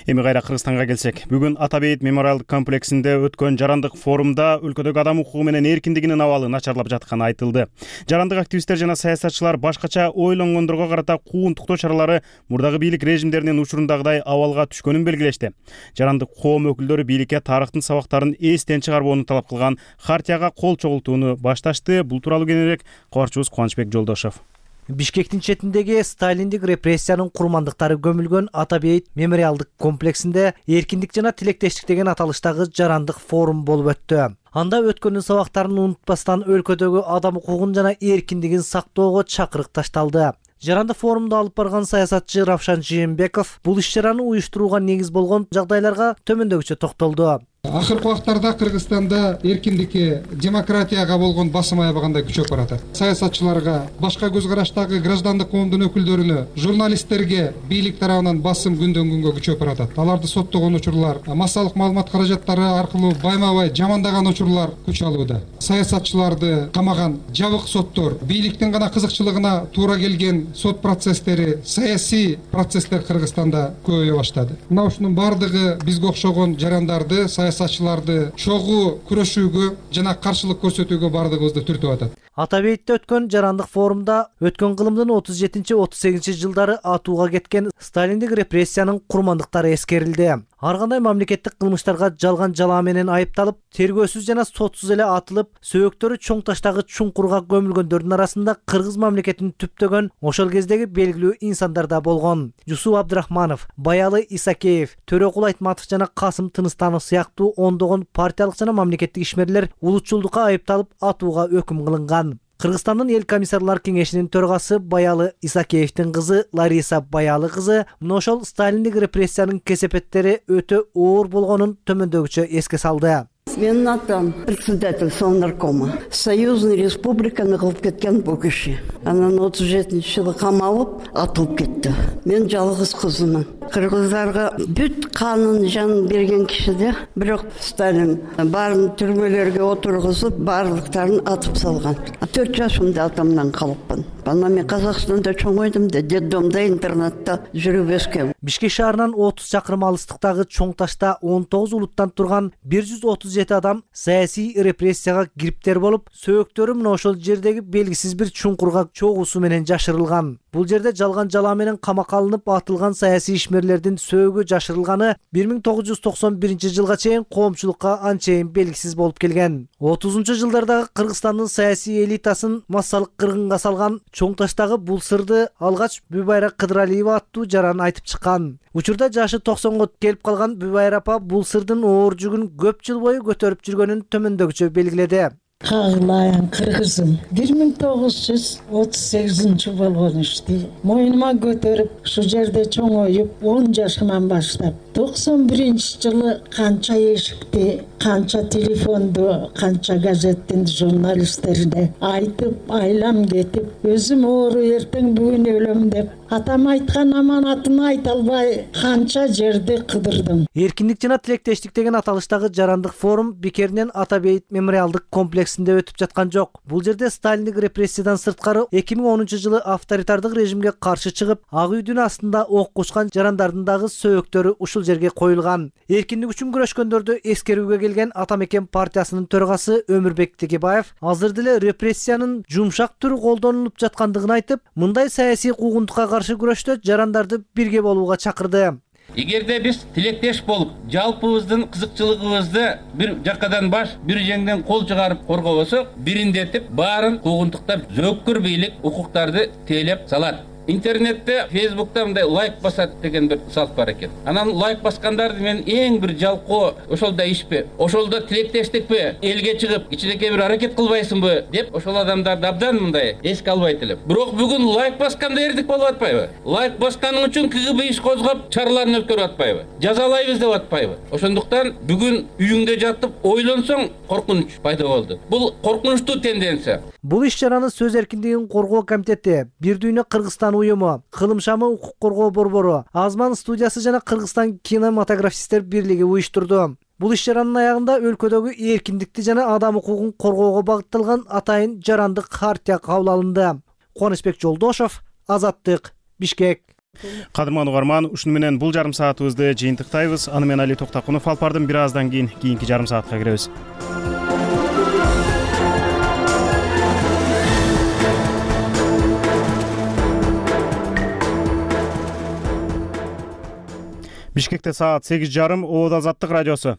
Эми кайра Кыргызстанга келсек, бүгүн Ата бейит мемориалдык комплексинде өткөн жарандык форумда өлкөдөгү адам укугу менен эркиндигинин абалы начарлап жатканы айтылды. Жарандык активисттер жана саясатчылар башкача ойлонгондорго карата кууntуктоо чаралары мурдагы бийлик режимдеринин учурундагыдай абалга түшкөнүн белгилешти. Жарандык коом өкүлдөрү бийликке тарыхтын сабактарын эстен чыгарбоону талап кылган хартияга кол чогултууну башташты. Бул тууралуу кененирээк кабарчыбыз Кубанычбек Жолдошов. Бишкектин четиндеги сталиндик репрессиянын курмандыктары көмүлгөн Ата бейит мемориалдык комплексинде эркиндик жана тилектештик деген аталыштагы жарандык форум болуп өттү. Анда өткөндүн сабактарын унутпастан өлкөдөгү адам укугун жана эркиндигин сактоого чакырык ташталды. Жарандык форумду алып барган саясатчы Равшан Жээнбеков бул иш-чараны уюштурууга негиз болгон жагдайларга төмөндөгүчө токтолду. Акыркы убактарда Кыргызстанда эркиндикке, демократияга болгон басым аябагандай күчөп баратат. Саясатчыларга, башка көз караштагы граждандык коомдун өкүлдөрүнө, журналисттерге бийлик тарабынан басым күндөн күнгө күчөп баратат. Аларды соттогон учурлар, массалык маалымат каражаттары аркылуу байма-бай жамандаган учурлар күч алууда. Саясатчыларды камаган жабык соттор, бийликтин гана кызыкчылыгына туура келген сот процесстери, саясий процесстер Кыргызстанда көбөйө баштады. Мына ушунун бардыгы бизге окшогон жарандарды, саясатчыларды чогуу күрөшүүгө жана каршылык көрсөтүүгө бардыгыбызды түртүп атат. Ата бейтте өткөн жарандык форумда өткөн кылымдын отуз жетинчи отуз сегизинчи жылдары атууга кеткен сталиндик репрессиянын курмандыктары эскерилди. Ар кандай мамлекеттик кылмыштарга жалган жалаа менен айыпталып, тергөөсүз жана сотсуз эле атылып, сөөктөрү чоң таштагы чуңкурга көмүлгөндөрдүн арасында кыргыз мамлекетин түптөгөн ошол кездеги белгилүү инсандар да болгон. Жусуп Абдрахманов, Баялы Исакеев, Төрөкул Айтматов жана Касым Тыныстанов сыяктуу ондогон партиялык жана мамлекеттик ишмерлер улутчулдукка айыпталып, атууга өкүм кылынган. Кыргызстандын эл комиссарлар кеңешинин төрагасы Баялы Исакеевдин кызы Лариса Баялы кызы мына ошол сталиндик репрессиянын кесепеттери өтө оор болгонун төмөндөгүчө эске салды. Менин атам председатель Совнаркома. Союзный республиканы кылып кеткен бул киши. Анан отуз жетинчи жылы камалып, атылып кетти. Мен жалгыз кызымын. Кыргыздарга бүт канын жан берген кишиде, бирок Сталин баарын түрмөлөргө отургузуп, баардыктарын атып салган. төрт жашымда атамдан калыпмын. Анан мен Казакстанда чоңойдум да, детдомдо, интернатта жүрүп өскөм. Бишкек шаарынан отуз чакырым алыстыктагы Чоң Ташта он тогуз улуттан турган бир жүз отуз жети адам саясий репрессияга кириптер болуп, сөөктөрү мына ошол жердеги белгисиз бир чуңкурга чогуусу менен жашырылган. Бул жерде жалган жалаа менен камакка алынып атылган саясий ишмерлердин сөөгү жашырылганы бир миң тогуз жүз токсон биринчи жылга чейин коомчулукка анчейин белгисиз болуп келген. отузунчу жылдардагы Кыргызстандын саясий элитасын массалык кыргынга салган Чоң Таштагы бул сырды алгач Бүбайра Кыдыралиева аттуу жаран айтып чыккан. Учурда жашы токсонго келип калган Бүбайра апа бул сырдын оор жүгүн көп жыл бою көтөрүп жүргөнүн төмөндөгүчө белгиледи. Кагылайын кыргызым бир миң тогуз жүз отуз сегизинчи болгон ишти мойнума көтөрүп ушу жерде чоңоюп он жашыман баштап токсон биринчи жылы канча эшикти, канча телефонду, канча газеттин журналисттерине айтып, айлам кетип, өзүм оору эртең бүгүн өлөм деп, атам айткан аманатын айта албай канча жерди кыдырдым. Эркиндик жана тилектештик деген аталыштагы жарандык форум бекеринен Ата бейит мемориалдык комплексинде өтүп жаткан жок. Бул жерде сталиндик репрессиядан сырткары эки миң онунчу жылы авторитардык режимге каршы чыгып, ак үйдүн астында ок кучкан жарандардын дагы сөөктөрү ушул жерге коюлган. Эркиндик үчүн күрөшкөндөрдү эскерүүгө келген Ата мекен партиясынын төрагасы Өмүрбек Текебаев азыр деле репрессиянын жумшак түрү колдонулуп жаткандыгын айтып, мындай саясий куугунтукка каршы күрөштө жарандарды бирге болууга чакырды. Эгерде биз тилектеш болуп, жалпыбыздын кызыкчылыгыбызды бир жакадан баш, бир жеңден кол чыгарып коргобосок, бириндетип баарын куугунтуктап, зөөккүр бийлик укуктарды тейлеп салат. Интернетте, Фейсбукта мындай лайк басат деген бир салт бар экен. Анан лайк баскандарды мен эң бир жалкоо, ошолда ишпи, ошолда тилектештикпи, элге чыгып, ичинекей бир аракет кылбайсыңбы деп ошол адамдарды абдан мындай эске албайт элем. Бирок бүгүн лайк басканда эрдик болуп атпайбы? Лайк басканың үчүн КГБ иш козгоп, чараларын өткөрүп атпайбы? Жазалайбыз деп атпайбы? Ошондуктан бүгүн үйүңдө жатып ойлонсоң коркунуч пайда болду. Бул коркунучтуу тенденция. Бул иш-чараны сөз эркиндигин коргоо комитети Бир дүйнө Кыргызстан жашаган уюму, Кылым шамы укук коргоо борбору, Азман студиясы жана Кыргызстан кинематографисттер бирлиги уюштурду. Бул иш-чаранын аягында өлкөдөгү эркиндикти жана адам укугун коргоого багытталган атайын жарандык хартия кабыл алынды. Кубанычбек Жолдошов, Азаттык, Бишкек. Кадырман угарман, ушуну менен бул жарым саатыбызды жыйынтыктайбыз. Аны менен Али Токтакунов алып бардым. Бир аздан кийин кийинки жарым саатка киребиз. Бишкекте саат сегиз жарым, Обод Азаттык радиосу.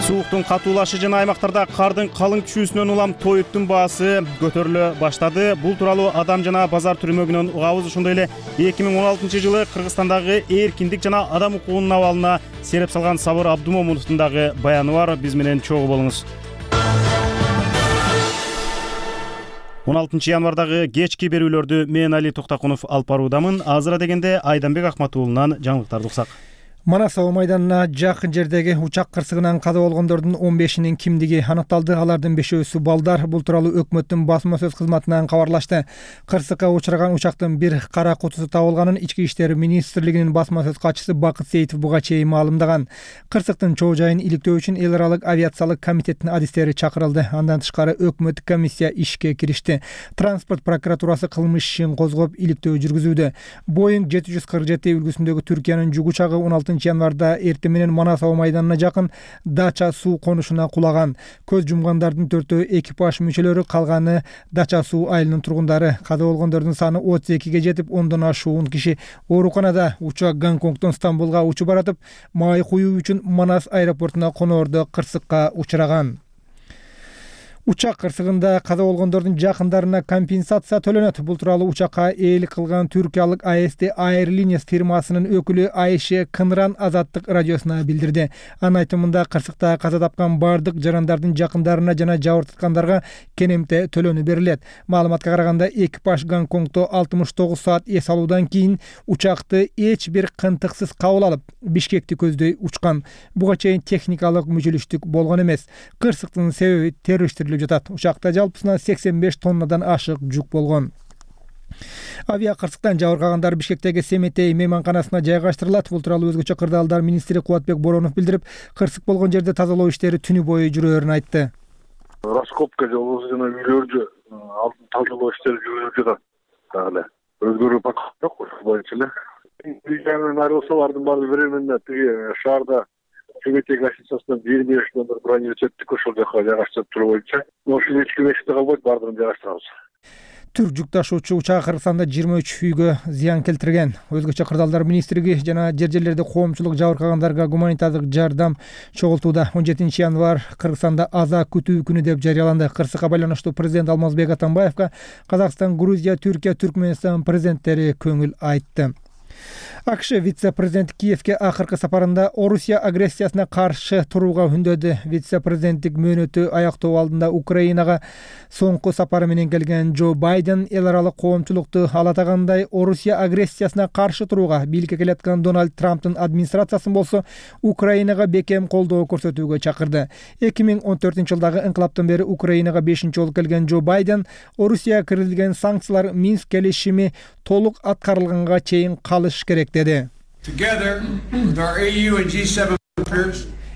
Сууктун катуулашы жана аймактарда кардын калың түшүүсүнөн улам тоюттун баасы көтөрүлө баштады. Бул тууралуу Адам жана базар түрмөгүнөн угабыз. Ошондой эле эки миң он алтынчы жылы Кыргызстандагы эркиндик жана адам укугунун абалына сереп салган Сабыр Абдумомуновдун дагы баяны бар. Биз менен чогуу болуңуз. он алтынчы январдагы кечки берүүлөрдү мен Али Токтакунов алып баруудамын. Азыра дегенде Айданбек Акматуулунан жаңылыктарды уксак. Манасоо майданына жакын жердеги учак кырсыгынан каза болгондордун он бешинин кимдиги аныкталды. Алардын бешөөсү балдар. Бул тууралуу өкмөттүн басма сөз кызматынан кабарлашты. Кырсыкка учураган учактын бир кара кутусу табылганын Ички иштер министрлигинин басма сөз катчысы Бакыт Сейитов буга чейин маалымдаган. Кырсыктын чоо жайын иликтөө үчүн эл аралык авиациялык комитеттин адистери чакырылды. Андан тышкары өкмөттүк комиссия ишке киришти. Транспорт прокуратурасы кылмыш ишин козгоп иликтөө жүргүзүүдө. Боинг жети жүз кырк жети үлгүсүндөгү Түркиянын жүк учагы он алтынчы январда эртең менен Манасоо майданына жакын Дача суу конушуна кулаган. Көз жумгандардын төртөө экипаж мүчөлөрү, калганы Дача суу айылынын тургундары. Каза болгондордун саны отуз экиге жетип, ондон ашуун киши ооруканада. Учак Гонконгдон Стамбулга учуп баратып, май куюу үчүн Манас аэропортуна коноордо кырсыкка учураган. Учак кырсыгында каза болгондордун жакындарына компенсация төлөнөт. Бул тууралуу учакка ээлик кылган түркиялык А С Т Airlines фирмасынын өкүлү Айше Кынран Азаттык радиосуна билдирди. Анын айтымында кырсыкта каза тапкан бардык жарандардын жакындарына жана жабырткандарга кенемте төлөнү берилет. Маалыматка караганда экипаж Гонконгдо алтымыш тогуз саат эс алуудан кийин учакты эч бир кынтыксыз кабыл алып, Бишкекти көздөй учкан. Буга чейин техникалык мүжүлүштүк болгон эмес. Кырсыктын себеби террористтер жатат. Учакта жалпысынан сексен беш тоннадан ашык жүк болгон. Авиа кырсыктан жабыркагандар Бишкектеги Семетей мейманканасына жайгаштырылат. Бул тууралуу өзгөчө кырдаалдар министри Кубатбек Боронов билдирип, кырсык болгон жерде тазалоо иштери түнү бою жүрөөрүн айтты. Раскопка жолу жана үйлөрдү алтын тазалоо иштери жүрүп жатат. Дагы өзгөрүү пока жок, ошол боюнча эле. Үйдөн айрылсалардын баары временно тиги шаарда Семетей гостиницасынан жыйырма беш номер бронировать еттик, ошол жака жайгаштырып туруу боюнча. Ошол эч ким эшикте калбайт, баардыгын жайгаштырабыз. Түр жүк ташуучу учак Кыргызстанда жыйырма үч үйгө зыян келтирген. Өзгөчө кырдаалдар министрлиги жана жер жерлерде коомчулук жабыркагандарга гуманитардык жардам чогултууда. он жетинчи январь Кыргызстанда аза күтүү күнү деп жарыяланды. Кырсыкка байланыштуу президент Алмазбек Атамбаевга Казакстан, Грузия, Түркия, Түркмөнстан президенттери көңүл айтты. АКШ вице-президенти Киевке акыркы сапарында Орусия агрессиясына каршы турууга үндөдү. Вице-президенттик мөөнөтү аяктоо алдында Украинага соңку сапары менен келген Джо Байден эл аралык коомчулукту алатагандай Орусия агрессиясына каршы турууга, бийликке келаткан Дональд Трамптын администрациясын болсо Украинага бекем колдоо көрсөтүүгө чакырды. эки миң он төртүнчү жылдагы инкылаптан бери Украинага бешинчи жолу келген Джо Байден Орусияга киргизилген санкциялар Минск келишими толук аткарылганга чейин калыш керек деди.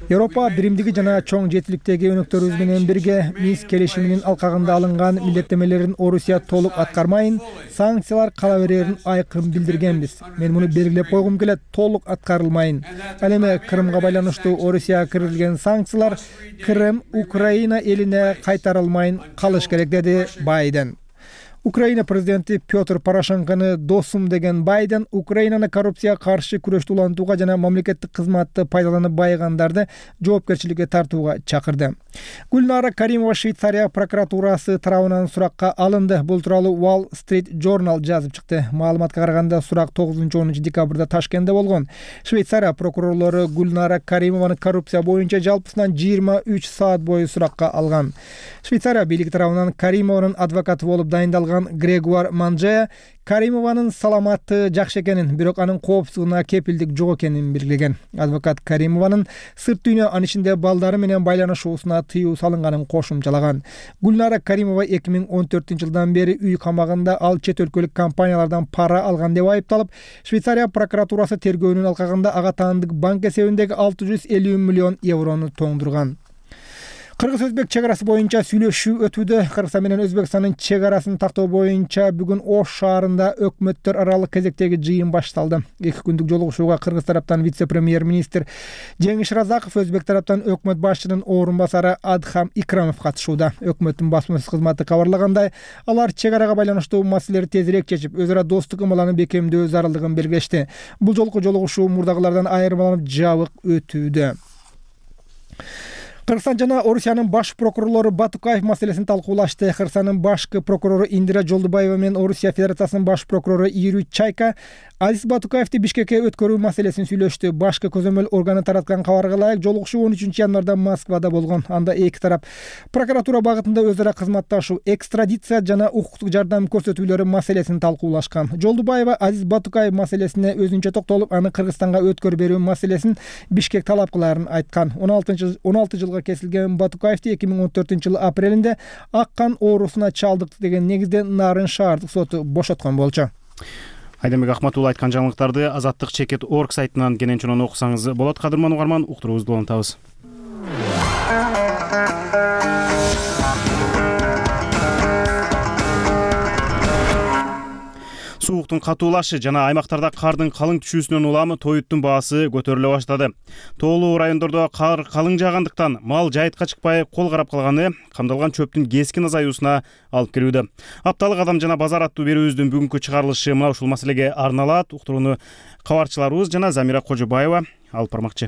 Европа биримдиги жана чоң жетиликтеги өнөктөрүбүз менен бирге Минск келишиминин алкагында алынган милдеттемелерин Орусия толук аткармайын, санкциялар кала берерин айкын билдиргенбиз. Мен муну белгилеп койгум келет, толук аткарылмайын. Ал эми Крымга байланыштуу Орусияга киргизилген санкциялар Крым Украина элине кайтарылмайын калыш керек деди Байден. Украина президенти Петр Порошенкону досум деген Байден Украинаны коррупцияга каршы күрөштү улантууга жана мамлекеттик кызматты пайдаланып байыгандарды жоопкерчиликке тартууга чакырды. Гүлнара Каримова Швейцария прокуратурасы тарабынан суракка алынды. Бул тууралуу Wall Street Journal жазып чыкты. Маалыматка караганда сурак тогузунчу онунчу декабрда Ташкентте болгон. Швейцария прокурорлору Гүлнара Каримованы коррупция боюнча жалпысынан жыйырма үч саат бою суракка алган. Швейцария бийлиги тарабынан Каримованын адвокаты болуп дайындалган калган Грегуар Манжея Каримованын саламаты жакшы экенин, бирок анын коопсуздугуна кепилдик жок экенин белгилеген. Адвокат Каримованын сырт дүйнө, анын ичинде балдары менен байланышуусуна тыюу салынганын кошумчалаган. Гүлнара Каримова эки миң он төртүнчү жылдан бери үй камагында ал чет өлкөлүк компаниялардан пара алган деп айыпталып, Швейцария прокуратурасы тергөөнүн алкагында ага таандык банк эсебиндеги алты жүз элүү миллион еврону тоңдурган. Кыргыз-Өзбек чек арасы боюнча сүйлөшүү өтүүдө. Кыргызстан менен Өзбекстандын чек арасын тактоо боюнча бүгүн Ош шаарында өкмөттөр аралык кезектеги жыйын башталды. Эки күндүк жолугушууга Кыргыз тараптан вице-премьер-министр Жеңиш Разаков, Өзбек тараптан өкмөт башчынын орун басары Адхам Икрамов катышууда. Өкмөттүн басма сөз кызматы кабарлагандай, алар чек арага байланыштуу маселелерди тезирээк чечип, өз ара достук ымаланы бекемдөө зарылдыгын белгилешти. Бул жолку жолугушуу мурдагылардан айырмаланып жабык өтүүдө. Кыргызстан жана Орусиянын баш прокурорлору Батукаев маселесин талкуулашты. Кыргызстандын башкы прокурору Индира Жолдубаева менен Орусия Федерациясынын баш прокурору Юрий Чайка Азиз Батукаевди Бишкекке өткөрүү маселесин сүйлөштү. Башкы көзөмөл органы тараткан кабарга ылайык, жолугушуу он үчүнчү январда Москвада болгон. Анда эки тарап прокуратура багытында өз ара кызматташуу, экстрадиция жана укуктук жардам көрсөтүүлөрү маселесин талкуулашкан. Жолдубаева Азиз Батукаев маселесине өзүнчө токтолуп, аны Кыргызстанга өткөрүп берүү маселесин Бишкек талап кылаарын айткан. он алты жылга кесилген Батукаевди эки миң он төртүнчү жылы апрелинде ак кан оорусуна чалдыкты деген негизде Нарын шаардык соту бошоткон болчу. Айдембек Ахматулла айткан жаңылыктарды Азаттык чекет точка орг сайтынан кенен чонон окусаңыз болот. Кадырман угарман, уктуруубузду улантабыз. Сууктун катуулашы жана аймактарда кардын калың түшүүсүнөн улам тоюттун баасы көтөрүлө баштады. Тоолуу райондордо кар калың жаагандыктан мал жайытка чыкпай кол карап калганы камдалган чөптүн кескин азаюусуна алып келүүдө. Апталык адам жана базар аттуу берүүбүздүн бүгүнкү чыгарылышы мына ушул маселеге арналат. Уктурууну кабарчыларыбыз жана Замира Кожобаева алып бармакчы.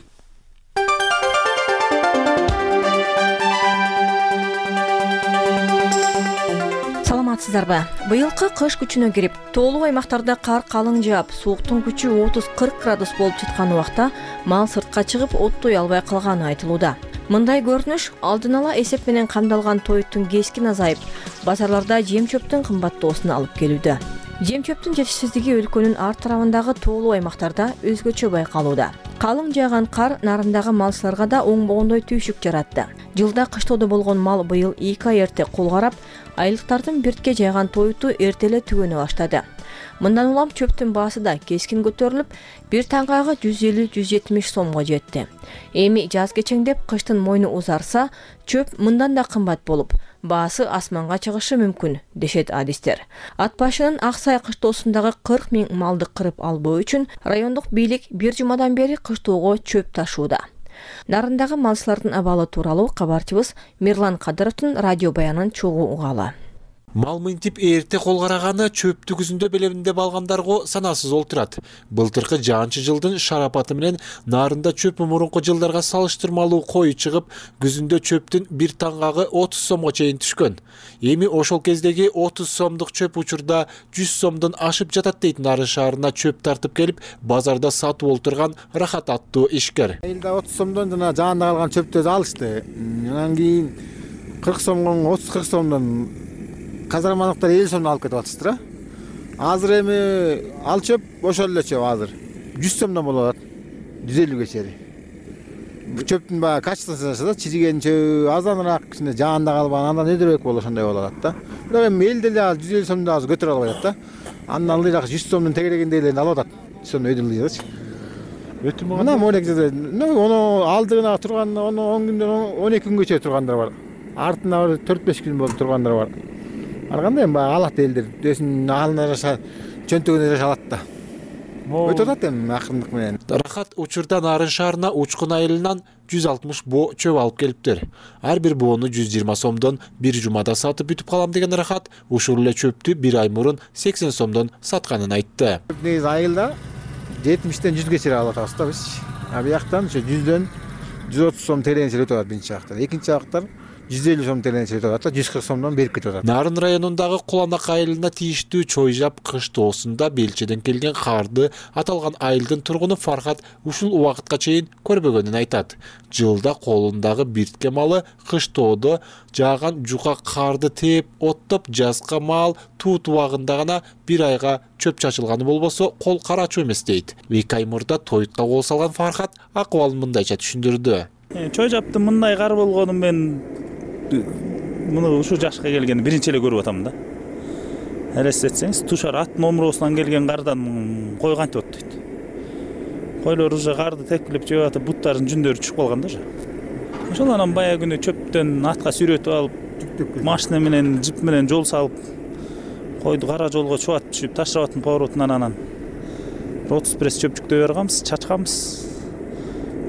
Саламатсыздарбы? Быйылкы кыш күчүнө кирип, тоолуу аймактарда кар калың жаап, сууктун күчү отуз кырк градус болуп жаткан убакта мал сыртка чыгып оттой албай калганы айтылууда. Мындай көрүнүш алдын ала эсеп менен камдалган тоюттун кескин азайып, базарларда жем чөптүн кымбаттоосуна алып келүүдө. Жем чөптүн жетишсиздиги өлкөнүн ар тарабындагы тоолуу аймактарда өзгөчө байкалууда. Калың жааган кар нарындагы малчыларга да оңбогондой түйшүк жаратты. Жылда кыштоодо болгон мал быйыл эки ай эрте кол карап, айлыктардын биртке жайган тоюту эртеле түгөнө баштады. Мындан улам чөптүн баасы да кескин көтөрүлүп, бир таңгагы жүз элүү жүз жетимиш сомго жетти. Эми жаз кечеңдеп кыштын мойну узарса, чөп мындан да кымбат болуп, баасы асманга чыгышы мүмкүн, дешет адистер. Ат башынын Ак Сай кыштоосундагы кырк миң малды кырып албоо үчүн райондук бийлик бир жумадан бери кыштоого чөп ташууда. Нарындагы малчылардын абалы тууралуу кабарчыбыз Мирлан Кадыровдун радио баянын чогуу угалы. Мал мынтип эрте кол караганы чөптү күзүндө белеминде балгандарга санасыз олтурат. Былтыркы жаанчы жылдын шарапаты менен нарында чөп мурунку жылдарга салыштырмалуу кою чыгып, күзүндө чөптүн бир таңгагы отуз сомго чейин түшкөн. Эми ошол кездеги отуз сомдук чөп учурда жүз сомдон ашып жатат дейт Нарын шаарына чөп тартып келип, базарда сатып олтурган Рахат аттуу ишкер. Элде отуз сомдон жана жаанда калган чөптөрдү алышты. Анан кийин кырк сомдон отуз кырк сомдон казармалыктар элүү сомдон алып кетип атышты. Азыр эми ал чөп ошол эле чөп азыр жүз сомдон болуп атат. жүз элүүгө чейин. Бул чөптүн баягы качествосы да чижиген чөп азаныраак, кичине жаанда калбаган, андан өйдөрөөк болуп ошондой болуп атат да. Бирок эми элде эле ал жүз элүү сомдон азыр көтөрө албай атат да. Андан ылдыйраак жүз сомдун тегерегиндейлерин алып атат. жүз сомдон өйдөлүйчү. Өтүм мына молек жерде, ону алдыгына турган, ону он күндөн он эки күнгө чейин тургандар бар. Артына бир төрт беш күн болуп тургандар бар. Ар кандай эми баягы алат элдер, өзүнүн алына жаша чөнтөгүнө жаша алат да. Өтүп атат эми акырындык менен. Рахат учурда Нарын шаарына учкун айылынан жүз алтымыш боо чөп алып келиптир. Ар бир боону жүз жыйырма сомдон бир жумада сатып бүтүп калам деген Рахат ушул эле чөптү бир ай мурун сексен сомдон сатканын айтты. Негизи айылда жетимиштен жүзгө чейин алып атабыз да биз. А бияктан ошо жүздөн жүз отуз сом терең өтүп атат биринчи жактар. Экинчи жактар жүз элүү сом делен өтүп атат, жүз кырк сомдон берип кетип атат. Нарын районундагы Куланак айылына тийиштүү Чойжап кыштоосунда Белчеден келген карды аталган айылдын тургуну Фархат ушул убакытка чейин көрбөгөнүн айтат. Жылда колундагы биртке малы кыштоодо жааган жука карды тээп оттоп, жазга мал туут убагында гана бир айга чөп чачылганы болбосо кол карачу эмес дейт. Эки ай мурда тойтка кол салган Фархат акыбалын мындайча түшүндүрдү. Чойжаптын мындай кар болгонун мен муну ушул жашка келгенде биринчи эле көрүп атам да. Элестетсеңиз, тушар ат номросунан келген кардан кой кантип оттойт. Койлор уже карды тепкилеп жеп атып, буттардын жүндөрү чыгып калган да уже. Ошол анан баягы күнү чөптөн атка сүйрөтүп алып, машина менен, жип менен жол салып, койду кара жолго чубатып түшүп, Ташрабаттын поворотунан анан отуз пресс чөп жүктөй барганбыз, чачканбыз.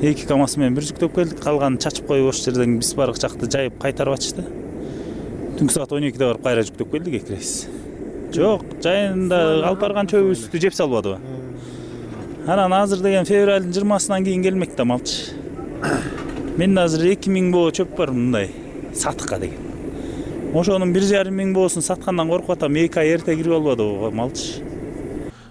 Эки КАМАЗ менен бир жүктөп келдик, калганын чачып коюп ошол жерден биз барык жакты жайып кайтарып атышты. Түнкү саат он экиде барып кайра жүктөп келдик эки рейс. Жок, жайында алып барган чөбүбүздү жеп салбадыбы? Анан азыр деген февралдын жыйырмасынан кийин келмек да малчы. Мен азыр эки миң боо чөп бар мындай сатыкка деген. Ошонун бир жарым миң боосун саткандан коркуп атам, эки ай эрте кирип албадыбы малчы.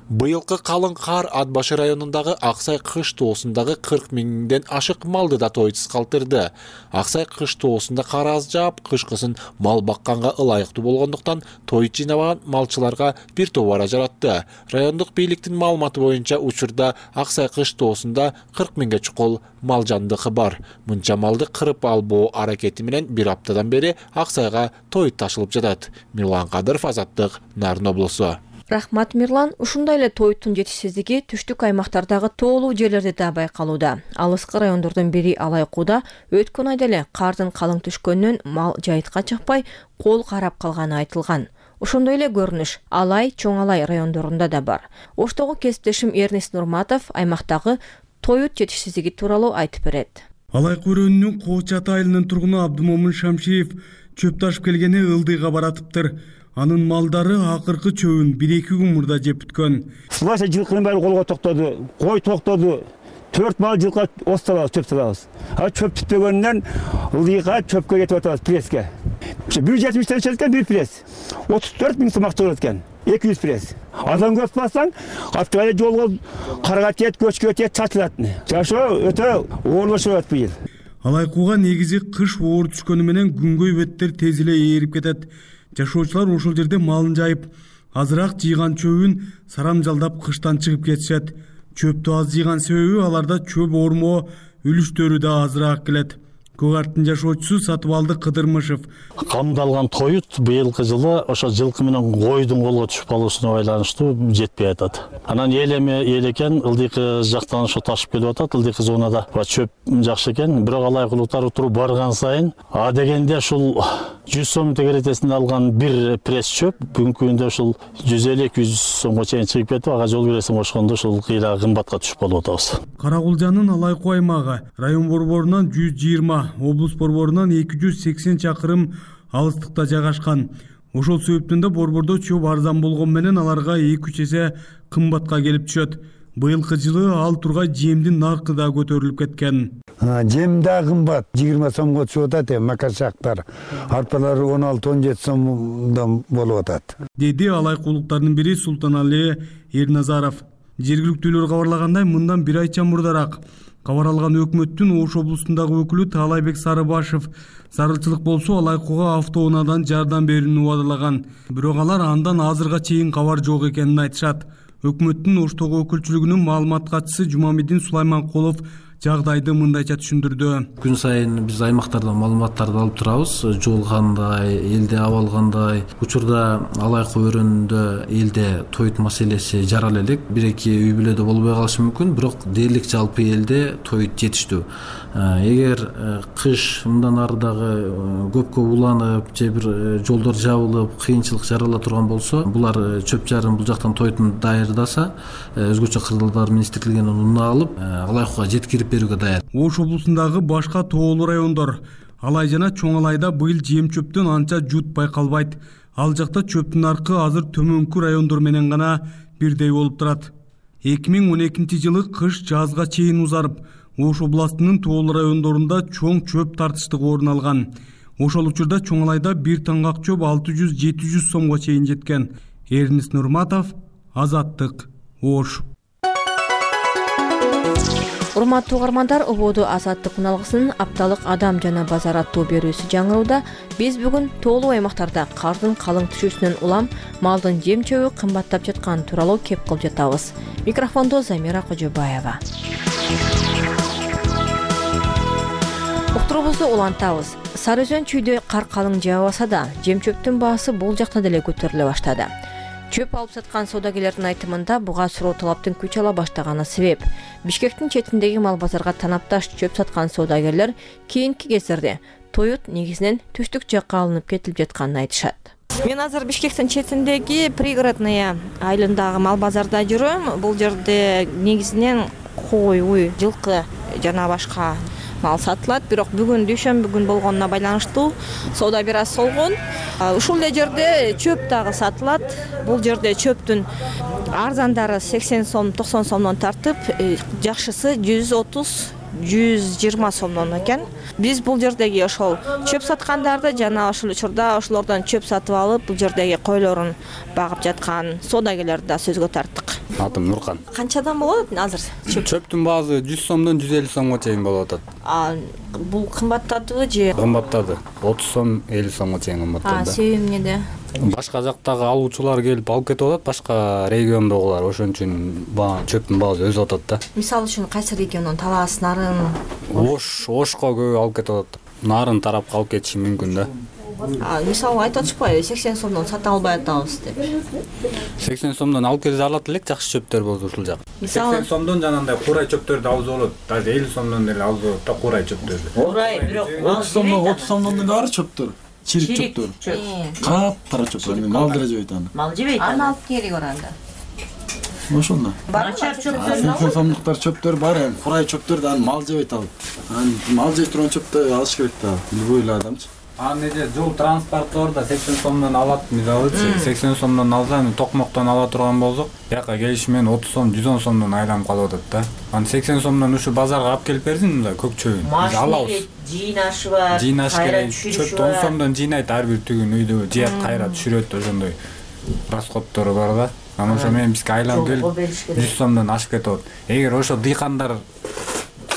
Быйылкы калың кар Ат башы районундагы Аксай кыштоосундагы кырк миңден ашык малды да тойтсуз калтырды. Аксай кыштоосунда кар аз жаап, кышкысын мал бакканга ылайыктуу болгондуктан той жыйнабаган малчыларга бир тобора жаратты. Райондук бийликтин маалыматы боюнча учурда Аксай кыштоосунда кырк миңге чукул мал жандыгы бар. Мынча малды кырып албоо аракети менен бир аптадан бери Аксайга той ташылып жатат. Мирлан Кадыров, Азаттык, Нарын облусу. Рахмат Мирлан, ушундай эле тойтун жетишсиздиги түштүк аймактардагы тоолуу жерлерде да байкалууда. Алыскы райондордун бири Алайкууда өткөн айда эле кардын калың түшкөнүнөн мал жайытка чыкпай, кол карап калганы айтылган. Ошондой эле көрүнүш Алай, Чоң Алай райондорунда да бар. Оштогу кесиптешим Эрнест Нурматов аймактагы тоют жетишсиздиги тууралуу айтып берет. Алайкуу районунун Коочат айылынын тургуну Абдымомун Шамшиев чөп ташып келгени ылдыйга баратыптыр. Анын малдары акыркы чөбүн бир-эки күн мурда жеп бүткөн. Сылайша жылкынын баары колго токтоду, кой токтоду. Төрт мал жылкы осталабыз, чөп салабыз. А чөп түтпөгөнүнөн ылдыйга чөпкө кетип атабыз преске. бир жүз жетимиштен чыккан бир пресс. отуз төрт миң сом акча болот экен. эки жүз пресс. Адам көп бассаң, аптыгай жолго карга тиет, көчкө тиет, чачылат. Жашоо өтө оорлошуп атат быйыл. Алайкууга негизи кыш оор түшкөнү менен күнгөй беттер тез эле ээрип кетет. Жашоочулар ошол жерде малын жайып, азыраак жыйган чөбүн сарамжалдап кыштан чыгып кетишет. Чөптү аз жыйган себеби аларда чөп ормоо үлүштөрү да азыраак келет. Көгарттын жашоочусу Сатыбалды Кыдырмышев. Камдалган тоют быйылкы жылы ошо жылкы менен койдун колго түшүп калуусуна байланыштуу жетпей атат. Анан эл эми эл экен, ылдыйкы жактан ошо ташып келип атат, ылдыйкы зонада чөп жакшы экен. Бирок алайкулуктар утуруп барган сайын, а дегенде ушул жүз сом тегеретесинде алган бир пресс чөп бүгүнкү күндө ушул жүз элүү эки жүз сомго чейин чыгып кетип, ага жол бересиң ошондо ушул кыйла кымбатка түшүп калып атабыз. Каракулжанын Алайкуу аймагы район борборунан жүз жыйырма, облус борборунан эки жүз сексен чакырым алыстыкта жайгашкан. Ошол себептен да борбордо чөп арзан болгон менен аларга эки үч эсе кымбатка келип түшөт. Быйылкы жылы ал тургай жемдин наркы да көтөрүлүп кеткен. Жем да кымбат, жыйырма сомго түшүп атат, макашактар. Арпалар он алты он жети сомдон болуп атат. Деди алайкуулуктардын бири Султанали Эрназаров. Жергиликтүүлөр кабарлагандай, мындан бир айча мурдараак кабар алган өкмөттүн Ош облусундагы өкүлү Таалайбек Сарыбашев зарылчылык болсо Алайкууга автоунаадан жардам берүүнү убадалаган. Бирок алар андан азырга чейин кабар жок экенин айтышат. Өкмөттүн Оштогу өкүлчүлүгүнүн маалымат катчысы Жумамедин Сулайманкулов жагдайды мындайча түшүндүрдү. Күн сайын биз аймактардан маалыматтарды алып турабыз. Жол кандай, элде абал кандай. Учурда Алайкуу өрөөнүндө элде тоют маселеси жарал элек. Бир-эки үй бүлөдө болбой калышы мүмкүн, бирок дээрлик жалпы элде тоют жетиштүү. Эгер кыш мындан ары дагы көпкө уланып, же бир жолдор жабылып, кыйынчылык жарала турган болсо, булар чөп жарым бул жактан тоютун даярдаса, өзгөчө кырдаалдар министрлигинен унаа алып, Алайкууга жеткирип берүүгө даяр. Ош облусундагы башка тоолуу райондор Алай жана Чоң Алайда быйыл жем чөптөн анча жут байкалбайт. Ал жакта чөптүн наркы азыр төмөнкү райондор менен гана бирдей болуп турат. эки миң он экинчи жылы кыш жазга чейин узарып, Ош областынын тоолуу райондорунда чоң чөп тартыштыгы орун алган. Ошол учурда Чоңалайда бир таңгак чөп алты жүз жети жүз сомго чейин жеткен. Эрнис Нурматов, Азаттык, Ош. Урматтуу угармандар, ободу Азаттык үналгысынын апталык адам жана базар аттуу берүүсү жаңырууда. Биз бүгүн тоолуу аймактарда кардын калың түшүүсүнөн улам малдын жем чөбү кымбаттап жатканы тууралуу кеп кылып жатабыз. Микрофондо Замира Кожобаева. Уктурубузду улантабыз. Сары Өзөн чүйдө кар калың жаабаса да, жем чөптүн баасы бул жакта деле көтөрүлө баштады. Чөп алып саткан саудагерлердин айтымында буга суроо талаптын күч ала баштаганы себеп. Бишкектин четиндеги мал базарга танапташ чөп саткан саудагерлер кийинки кездерде тоют негизинен түштүк жакка алынып кетилип жатканын айтышат. Мен азыр Бишкектин четиндеги пригородный айылындагы мал базарда жүрөм. Бул жерде негизинен кой, уй, жылкы жана башка мал сатылат, бирок бүгүн дүйшөмбү күн болгонуна байланыштуу соода бир аз солгон. Ушул эле жерде чөп дагы сатылат. Бул жерде чөптүн арзандары сексен сом, токсон сомдон тартып, жакшысы жүз отуз, жүз жыйырма сомдон экен. Биз бул жердеги ошол чөп саткандарды жана ошол учурда ошолордон чөп сатып алып, бул жердеги койлорун багып жаткан соодагерлерди да сөзгө тарттык. Атым Нуркан. Канчадан болот азыр чөп? Чөптүн баасы жүз сомдон жүз элүү сомго чейин болуп атат. А бул кымбаттадыбы же? Кымбаттады. отуз сом, элүү сомго чейин кымбаттады. А себеби эмнеде? Башка жактагы алуучулар келип алып кетип атат, башка региондогулар, ошон үчүн баа чөптүн баасы өсүп атат да. Мисалы үчүн кайсы региондон? Талас, Нарын? Ош, Ошко көп алып кетип атат. Нарын тарапка алып кетиши мүмкүн да. А мисалы айтып атышпайбы, сексен сомдон сата албай атабыз деп. сексен сомдон алып келип алат элек, жакшы чөптөр болду ушул жак. сексен сомдон жанагындай курай чөптөрдү алса болот. Даже элүү сомдон деле алса болот да курай чөптөрдү. Курай, бирок отуз сомдон, отуз сомдон деле бар чөптөр. Чирик чөптөр. Каптара чөптөр. Мал деле жебейт аны. Мал жебейт. Аны алып келип баранда. Ошондо. Начар чөптөр. сексен сомдуктар чөптөр бар, эми курай чөптөр да аны мал жебейт алып. Аны мал жей турган чөптү алыш керек да. Любой эле адамчы. Аны эже жол транспортордо сексен сомдон алат, мисалы сексен сомдон алса, токмоктон ала турган болсок, жака келиши менен отуз сом, жүз он сомдон айланып калып атат да. Аны сексен сомдон ушу базарга алып келип берсин, мындай көк чөбүн. Биз алабыз. Жыйнашы бар. Жыйнаш керек. Чөптү он сомдон жыйнайт, ар бир түгүн үйдө жыят, кайра түшүрөт, ошондой расходтору бар да. Анан ошо менен бизге айланып келип жүз сомдон ашып кетип атат. Эгер ошо дыйкандар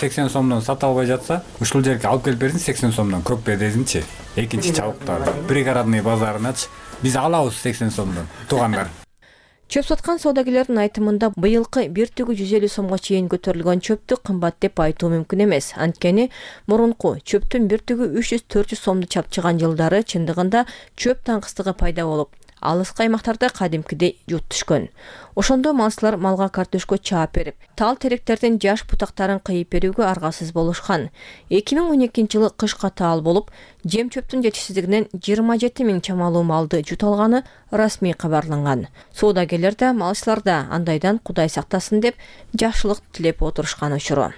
сексен сомдон сата албай жатса, ушул жерге алып келип берсин сексен сомдон көк бедезинчи. Экинчи чабыктар пригородный базарыначы биз алабыз сексен сомдон туугандар. Чөп саткан соодагерлердин айтымында быйылкы бир түгү жүз элүү сомго чейин көтөрүлгөн чөптү кымбат деп айтуу мүмкүн эмес. Анткени мурунку чөптүн бир түгү үч жүз төрт жүз сомду чапчыган жылдары чындыгында чөп таңкыстыгы пайда болуп, алыскы аймактарда кадимкидей жут түшкөн. Ошондо малчылар малга картөшкө чаап берип, тал теректердин жаш бутактарын кыйып берүүгө аргасыз болушкан. эки миң он экинчи жылы кышка таал болуп, жем чөптүн жетишсиздигинен жыйырма жети миң чамалуу малды жут алганы расмий кабарланган. Соодагерлер да, малчылар да андайдан Кудай сактасын деп жакшылык тилеп отурушкан учуру.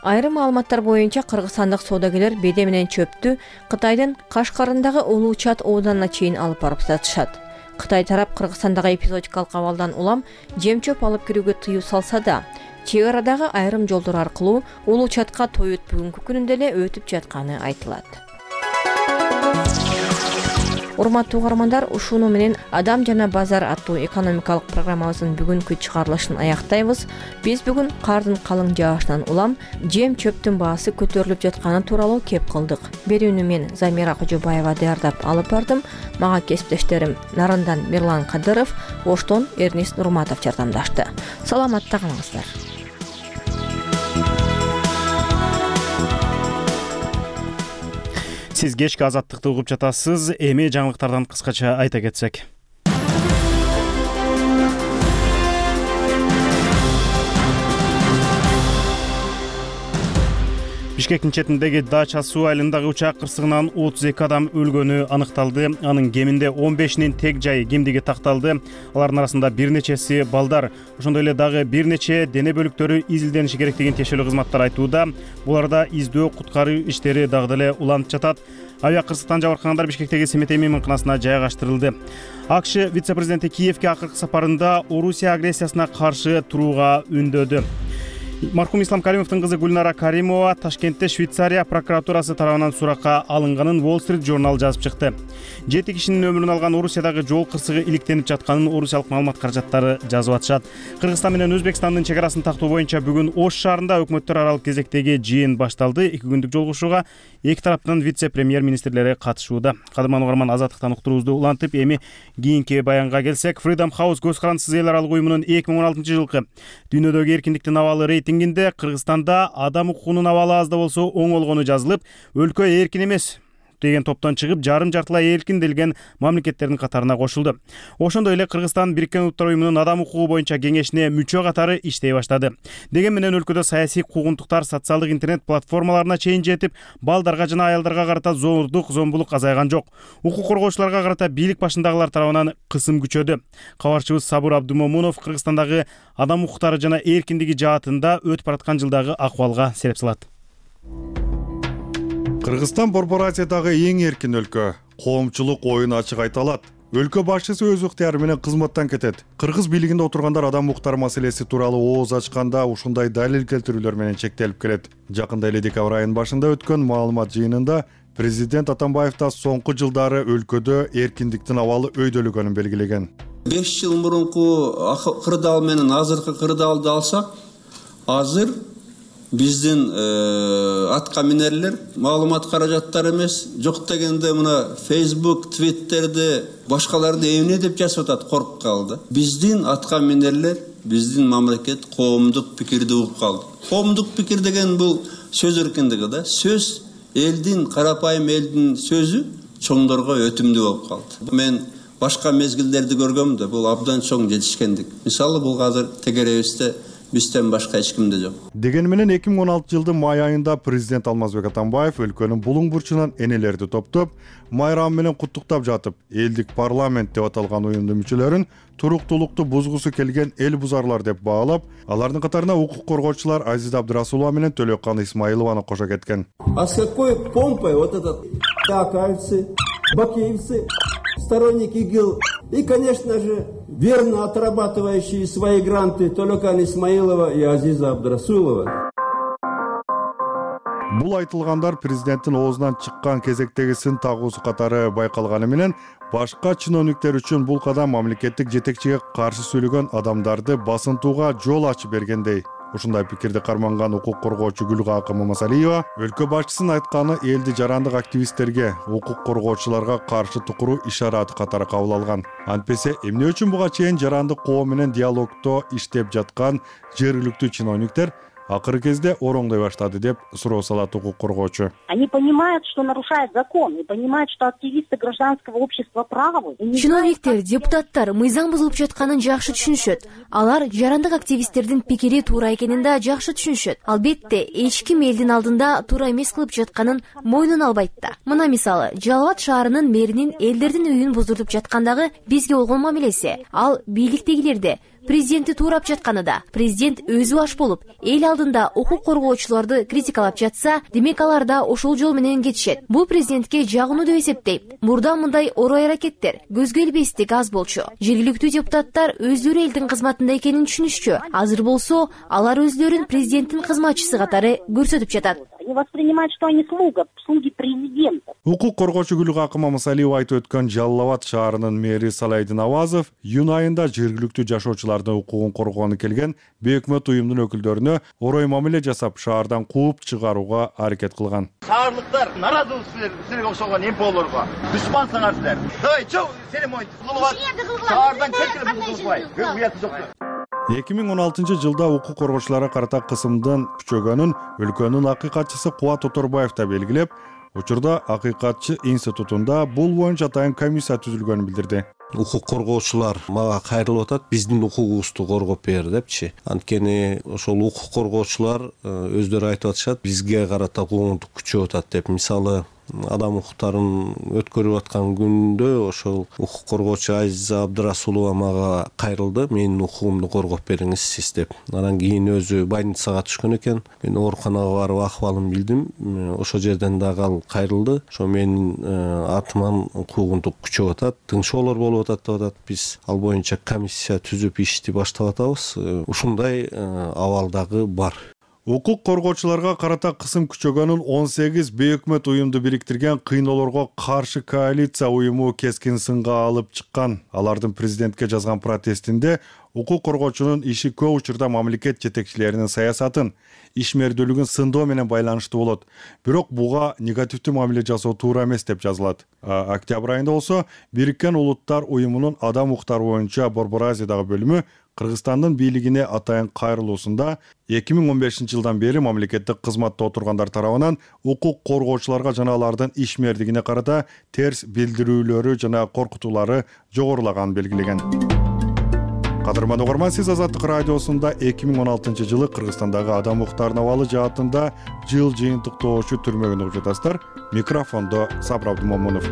Айрым маалыматтар боюнча кыргызстандык соодагерлер беде менен чөптү Кытайдын Кашкарындагы Улуу Чат ооданына чейин алып барып сатышат. Кытай тарап Кыргызстандагы эпизодикалык абалдан улам жем чөп алып кирүүгө тыюу салса да, чек арадагы айрым жолдор аркылуу Улуу Чатка тоют бүгүнкү күнүндө эле өтүп жатканы айтылат. Урматтуу угармандар, ушуну менен Адам жана базар аттуу экономикалык программабыздын бүгүнкү чыгарылышын аяктайбыз. Биз бүгүн кардын калың жаашынан улам жем чөптүн баасы көтөрүлүп жатканы тууралуу кеп кылдык. Берүүнү мен Замира Кожобаева даярдап алып бардым. Мага кесиптештерим Нарындан Мирлан Кадыров, Оштон Эрнис Нурматов жардамдашты. Саламатта калыңыздар. Сиз кечки азаттыкты угуп жатасыз. Эми жаңылыктардан кыскача айта кетсек. Бишкектин четиндеги Дача суу айылындагы учак кырсыгынан отуз эки адам өлгөнү аныкталды. Анын кеминде он бешинин тег жайы кимдиги такталды. Алардын арасында бир нечеси балдар. Ошондой эле дагы бир нече дене бөлүктөрү изилдениши керек деген тиешелүү кызматтар айтууда. Буларда издөө куткаруу иштери дагы деле уланып жатат. Авиа кырсыктан жабыркагандар Бишкектеги Семетей мейманканасына жайгаштырылды. АКШ вице-президенти Киевге акыркы сапарында Орусия агрессиясына каршы турууга үндөдү. Мархум Ислам Каримовдун кызы Гүлнара Каримова Ташкентте Швейцария прокуратурасы тарабынан суракка алынганын Wall Street Journal жазып чыкты. Жети кишинин өмүрүн алган Орусиядагы жол кырсыгы иликтенип жатканын орусиялык маалымат каражаттары жазып атышат. Кыргызстан менен Өзбекстандын чек арасын тактоо боюнча бүгүн Ош шаарында өкмөттөр аралык кезектеги жыйын башталды. эки күндүк жолугушууга эки тараптын вице-премьер министрлери катышууда. Кадырман угарман азаттыктан уктуруубузду улантып, эми кийинки баянга келсек, Freedom House көз карандысыз эл аралык уюмунун эки миң он алтынчы жылкы дүйнөдөгү эркиндиктин абалы рейтингинде Кыргызстанда адам укугунун абалы аз да болсо оңолгону жазылып, өлкө эркин эмес деген топтон чыгып, жарым жартылай эркин делген мамлекеттердин катарына кошулду. Ошондой эле Кыргызстан Бириккен Улуттар уюмунун адам укугу боюнча кеңешине мүчө катары иштей баштады. Деген менен өлкөдө саясий куугунтуктар социалдык интернет платформаларына чейин жетип, балдарга жана аялдарга карата зордук, зомбулук азайган жок. Укук коргоочуларга карата бийлик башындагылар тарабынан кысым күчөдү. Кабарчыбыз Сабыр Абдумомунов Кыргызстандагы адам укуктары жана эркиндиги жаатында өтүп бараткан жылдагы акыбалга сереп салат. Кыргызстан Борбор Азиядагы эң эркин өлкө. Коомчулук оюн ачык айта алат. Өлкө башчысы өз ыктыяры менен кызматтан кетет. Кыргыз бийлигинде отургандар адам укуктары маселеси тууралуу ооз ачканда ушундай далил келтирүүлөр менен чектелип келет. Жакында эле декабрь айынын башында өткөн маалымат жыйынында президент Атамбаев да соңку жылдары өлкөдө эркиндиктин абалы өйдөлөгөнүн белгилеген. беш жыл мурунку кырдаал менен азыркы кырдаалды алсак, азыр биздин атка минерлер маалымат каражаттары эмес, жок дегенде мына Facebook, Twitter'de башкаларды эмне деп жазып атат, коркуп калды. Биздин атка минерлер, биздин мамлекет коомдук пикирди угуп калды. Коомдук пикир деген бул сөз эркиндиги да, сөз элдин, карапайым элдин сөзү чоңдорго өтүмдүү болуп калды. Мен башка мезгилдерди көргөм да, бул абдан чоң жетишкендик. Мисалы бул азыр тегеребизде бизден башка эч кимде жок. Деген менен эки миң он алтынчы жылдын май айында президент Алмазбек Атамбаев өлкөнүн булуң бурчунан энелерди топтоп, майрам менен куттуктап жатып, элдик парламент деп аталган уюмдун мүчөлөрүн туруктуулукту бузгусу келген эл бузарлар деп баалап, алардын катарына укук коргоочулар Азиза Абдырасулова менен Төлөккан Исмаилованы кошо кеткен. А с какой помпой вот этот акаевцы, бакеевцы, сторонники ИГИЛ и, конечно же, верно отрабатывающие свои гранты Төлөккан Исмаилова и Азиза Абдырасулова. Бул айтылгандар президенттин оозунан чыккан кезектеги сын тагуусу катары байкалганы менен башка чиновниктер үчүн бул кадам мамлекеттик жетекчиге каршы сүйлөгөн адамдарды басынтууга жол ачып бергендей. Ушундай пикирди карманган укук коргоочу Гүлгакы Мамасалиева өлкө башчысынын айтканы элди жарандык активисттерге, укук коргоочуларга каршы тукуруу ишараты катары кабыл алган. Антпесе эмне үчүн буга чейин жарандык коом менен диалогдо иштеп жаткан жергиликтүү чиновниктер акыркы кезде ороңдой баштады деп суроо салат укук коргоочу. Они понимают, что нарушают закон, и понимают, что активисты гражданского общества правы. Чиновниктер, депутаттар мыйзам бузулуп жатканын жакшы түшүнүшөт. Алар жарандык активисттердин пикири туура экенин да жакшы түшүнүшөт. Албетте, эч ким элдин алдында туура эмес кылып жатканын мойнуна албайт да. Мына мисалы, Жалал Абад шаарынын мэринин элдердин үйүн буздуртуп жаткандагы бизге болгон мамилеси, ал бийликтегилерде президентти туурап жатканы да. Президент өзү аш болуп, эл алдында укук коргоочуларды критикалап жатса, демек алар да ошол жол менен кетишет. Бул президентке жагынуу деп эсептейм. Мурда мындай орой аракеттер көзгө илбестик аз болчу. Жергиликтүү депутаттар өздөрү элдин кызматында экенин түшүнүшчү. Азыр болсо, алар өздөрүн президенттин кызматчысы катары көрсөтүп жатат. Они воспринимают, что они слуга, слуги президента. Укук коргоочу Гүлгакы Мамасалиева айтып өткөн Жалал Абад шаарынын мэри Салайдин Авазов июнь айында жергиликтүү жашоочулардын укугун коргогону келген бейөкмөт уюмдун өкүлдөрүнө орой мамиле жасап, шаардан кууп чыгарууга аракет кылган. Шаарлыктар наразы силер, силерге окшогон эмполорго душмансыңар силер. Давай, чо, сени моюнту кылып, шаардан кетирип кылбай. Уяты жок. эки миң он алтынчы жылда укук коргоочуларга карата кысымдын күчөгөнүн өлкөнүн акыйкатчысы Кубат Тоторбаев да белгилеп, учурда акыйкатчы институтунда бул боюнча атайын комиссия түзүлгөнүн билдирди. Укук коргоочулар мага кайрылып атат, биздин укугубузду коргоп бер депчи. Анткени ошол укук коргоочулар өздөрү айтып атышат, бизге карата куугунтук күчөп атат деп. Мисалы, адам укуктарын өткөрүп аткан күндө ошол укук коргоочу Азиза Абдырасулова мага кайрылды. Менин укугумду коргоп бериңиз сиз деп. Анан кийин өзү больницага түшкөн экен. Мен ооруканага барып акыбалын билдим. Ошол жерден дагы ал кайрылды. Ошо менин атыман куугунтук күчөп атат, тыңшоолор болуп атат деп атат. Биз ал боюнча комиссия түзүп ишти баштап атабыз. Ушундай абал дагы бар. Укук коргоочуларга карата кысым күчөгөнүн он сегиз бейөкмөт уюмду бириктирген кыйноолорго каршы коалиция уюму кескин сынга алып чыккан. Алардын президентке жазган протестинде укук коргоочунун иши көп учурда мамлекет жетекчилеринин саясатын, ишмердүүлүгүн сындоо менен байланыштуу болот. Бирок буга негативдүү мамиле жасоо туура эмес деп жазылат. Октябрь айында болсо Бириккен Улуттар уюмунун адам укуктары боюнча Борбор Азиядагы бөлүмү Кыргызстандын бийлигине атайын кайрылуусунда эки миң он бешинчи жылдан бери мамлекеттик кызматта отургандар тарабынан укук коргоочуларга жана алардын ишмердигине карата терс билдирүүлөрү жана коркутуулары жогорулаганын белгилеген. Кадырман угарман, сиз Азаттык радиосунда эки миң он алтынчы жылы Кыргызстандагы адам укуктарынын абалы жаатында жыл жыйынтыктоочу түрмөгүн угуп жатасыздар. Микрофондо Сабыр Абдымомунов.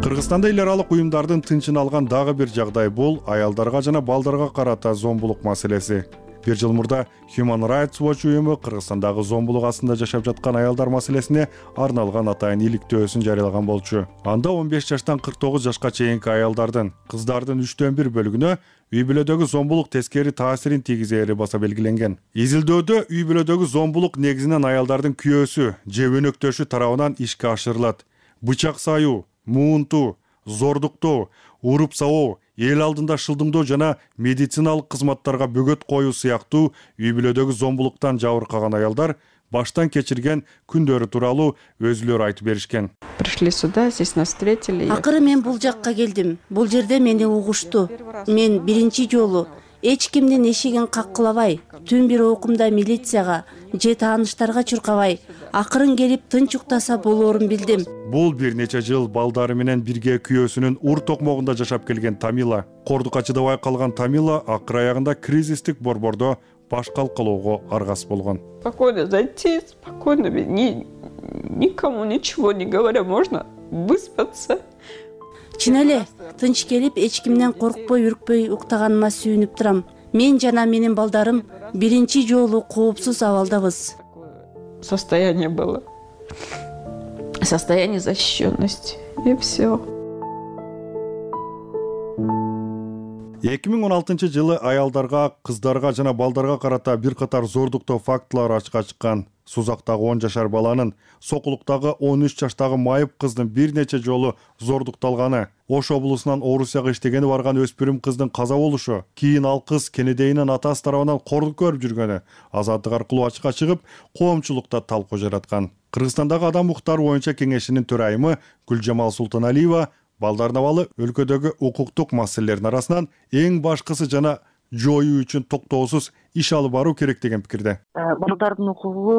Кыргызстанда эл аралык уюмдардын тынчын алган дагы бир жагдай бул аялдарга жана балдарга карата зомбулук маселеси. Бир жыл мурда Human Rights Watch уюму Кыргызстандагы зомбулук астында жашап жаткан аялдар маселесине арналган атайын иликтөөсүн жарыялаган болчу. Анда он беш жаштан кырк тогуз жашка чейинки аялдардын, кыздардын үчтөн бир бөлүгүнө үй бүлөдөгү зомбулук тескери таасирин тийгизери баса белгиленген. Изилдөөдө үй бүлөдөгү зомбулук негизинен аялдардын күйөөсү же өнөктөшү тарабынан ишке ашырылат. Бычак саюу, муунтуу, зордуктоо, уруп сабоо, эл алдында шылдыңдоо жана медициналык кызматтарга бөгөт коюу сыяктуу үй бүлөдөгү зомбулуктан жабыркаган аялдар баштан кечирген күндөрү тууралуу өзүлөрү айтып беришкен. Пришли сюда, здесь нас встретили. Акыры мен бул жакка келдим. Бул жерде мени угушту. Мен биринчи жолу эч кимдин эшигин каккылабай, түн бир окумда милицияга же тааныштарга чуркабай, акырын келип тынч уктаса болоорун билдим. Бул бир нече жыл балдары менен бирге күйөөсүнүн ур токмогунда жашап келген Тамила. Кордукачыда байкалган Тамила акыр аягында кризистик борбордо баш калкалоого аргас болгон. Спокойно зайти, спокойно, ни, никому ничего не говоря, можно выспаться. Чын эле, тынч келип, эч кимден коркпой, үркпөй уктаганыма сүйүнүп турам. Мен жана менин балдарым биринчи жолу коопсуз абалдабыз. Состояние было. Состояние защищенности. И все. эки миң он алтынчы жылы аялдарга, кыздарга жана балдарга карата бир катар зордуктоо фактылары ачыкка чыккан. Сузактагы он жашар баланын, Сокулуктагы он үч жаштагы майып кыздын бир нече жолу зордукталганы, Ош облусунан Орусияга иштегени барган өспүрүм кыздын каза болушу, кийин ал кыз кенедейинин атасы тарабынан кордук көрүп жүргөнү азаттык аркылуу ачыкка чыгып, коомчулукта талкуу жараткан. Кыргызстандагы адам укуктары боюнча кеңешинин төрайымы Гүлжамал Султаналиева балдардын абалы өлкөдөгү укуктук маселелердин арасынан эң башкысы жана жоюу үчүн токтоосуз иш алып баруу керек деген пикирде. Балдардын укугу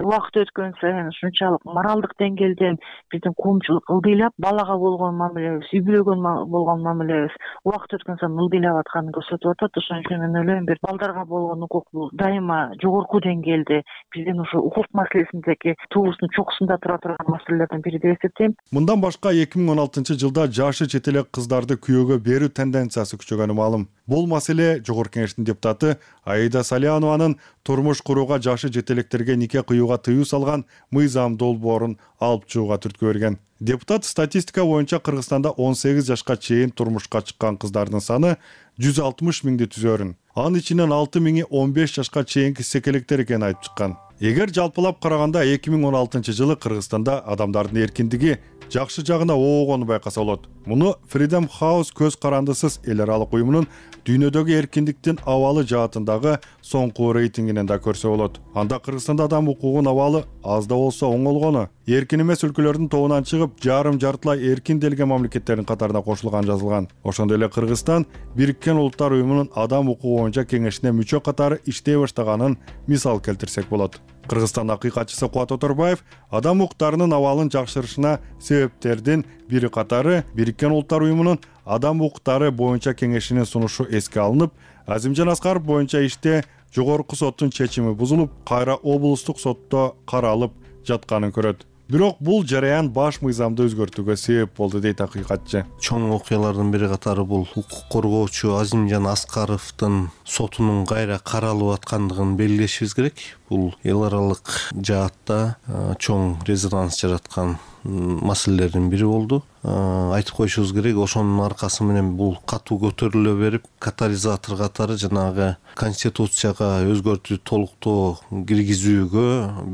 убакыт өткөн сайын ушунчалык моралдык деңгээлде биздин коомчулук ылдыйлап, балага болгон мамилебиз, үй бүлөгө болгон мамилебиз убакыт өткөн сайын ылдыйлап атканын көрсөтүп атат. Ошон үчүн мен ойлойм, бир балдарга болгон укук бул дайыма жогорку деңгээлде биздин ушу укук маселесиндеги туубуздун чокусунда тура турган маселелердин бири деп эсептейм. Мындан башка эки миң он алтынчы жылда жашы чет элек кыздарды күйөөгө берүү тенденциясы күчөгөнү маалым. Бул маселе Жогорку Кеңештин депутаты Аида Салиянованын турмуш курууга жашы жетелектерге нике кыюуга тыюу салган мыйзам долбоорун алып чыгууга түрткү берген. Депутат статистика боюнча Кыргызстанда он сегиз жашка чейин турмушка чыккан кыздардын саны жүз алтымыш миңди түзөрүн. Анын ичинен алты миңи он беш жашка чейинки секелектер экенин айтып чыккан. Эгер жалпылап караганда эки миң он алтынчы жылы Кыргызстанда адамдардын эркиндиги жакшы жагына оогону байкаса болот. Муну Freedom House көз карандысыз эл аралык уюмунун дүйнөдөгү эркиндиктин абалы жаатындагы соңку рейтингинен да көрсө болот. Анда Кыргызстанда адам укугунун абалы аз да болсо оңолгону, эркин эмес өлкөлөрдүн тобунан чыгып, жарым жартылай эркин делген мамлекеттердин катарына кошулган жазылган. Ошондой эле Кыргызстан Бириккен Улуттар уюмунун адам укугу боюнча кеңешине мүчө катары иштей баштаганын мисал келтирсек болот. Кыргызстан акыйкатчысы Кубат Оторбаев адам укуктарынын абалын жакшырышына себептердин бири катары Бириккен Улуттар уюмунун адам укуктары боюнча кеңешинин сунушу эске алынып, Азимжан Аскаров боюнча иште жогорку соттун чечими бузулуп, кайра облустук сотто каралып жатканын көрөт. бирок бул жараян баш мыйзамды өзгөртүүгө себеп болду дейт акыйкатчы. Чоң окуялардын бири катары бул укук коргоочу Азимжан Аскаровдун сотунун кайра каралып аткандыгын белгилешибиз керек. Бул эл аралык жаатта чоң резонанс жараткан маселелердин бири болду. Айтып коюшубуз керек, ошонун аркасы менен бул катуу көтөрүлө берип, катализатор катары жанагы конституцияга өзгөртүү толуктоо киргизүүгө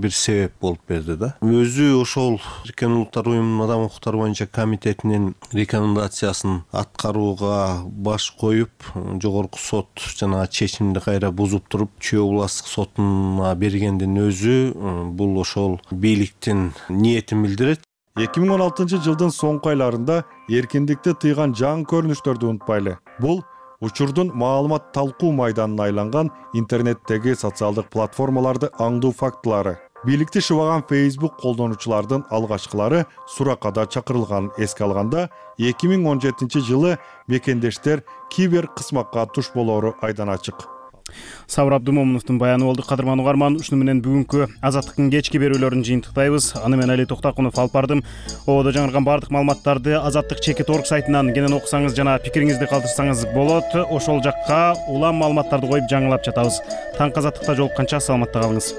бир себеп болуп берди да. Өзү ошол Бириккен Улуттар Уюмунун Адам укуктары боюнча комитетинин рекомендациясын аткарууга баш коюп, жогорку сот жанагы чечимди кайра бузуп туруп, Чүй областтык сотуна бергендин өзү бул ошол бийликтин ниетин билдирет. эки миң он алтынчы жылдын соңку айларында эркиндикти тыйган жаңы көрүнүштөрдү унутпайлы. Бул учурдун маалымат талкуу майданына айланган интернеттеги социалдык платформаларды аңдуу фактылары. Бийликти шыбаган Facebook колдонуучулардын алгачкылары суракка чакырылганын эске алганда, эки миң он жетинчи жылы мекендештер кибер кысмакка туш болоору айдан ачык. Сабыр Абдумомуновдун баяны болду. Кадырман угарман, ушуну менен бүгүнкү Азаттыктын кечки берүүлөрүн жыйынтыктайбыз. Аны менен Али Токтакунов алып бардым. Ободо жаңырган бардык маалыматтарды Азаттык чекит орг сайтынан кенен окусаңыз жана пикириңизди калтырсаңыз болот. Ошол жакка улам маалыматтарды коюп жаңылап жатабыз. Таңкы Азаттыкта жолукканча саламатта калыңыз.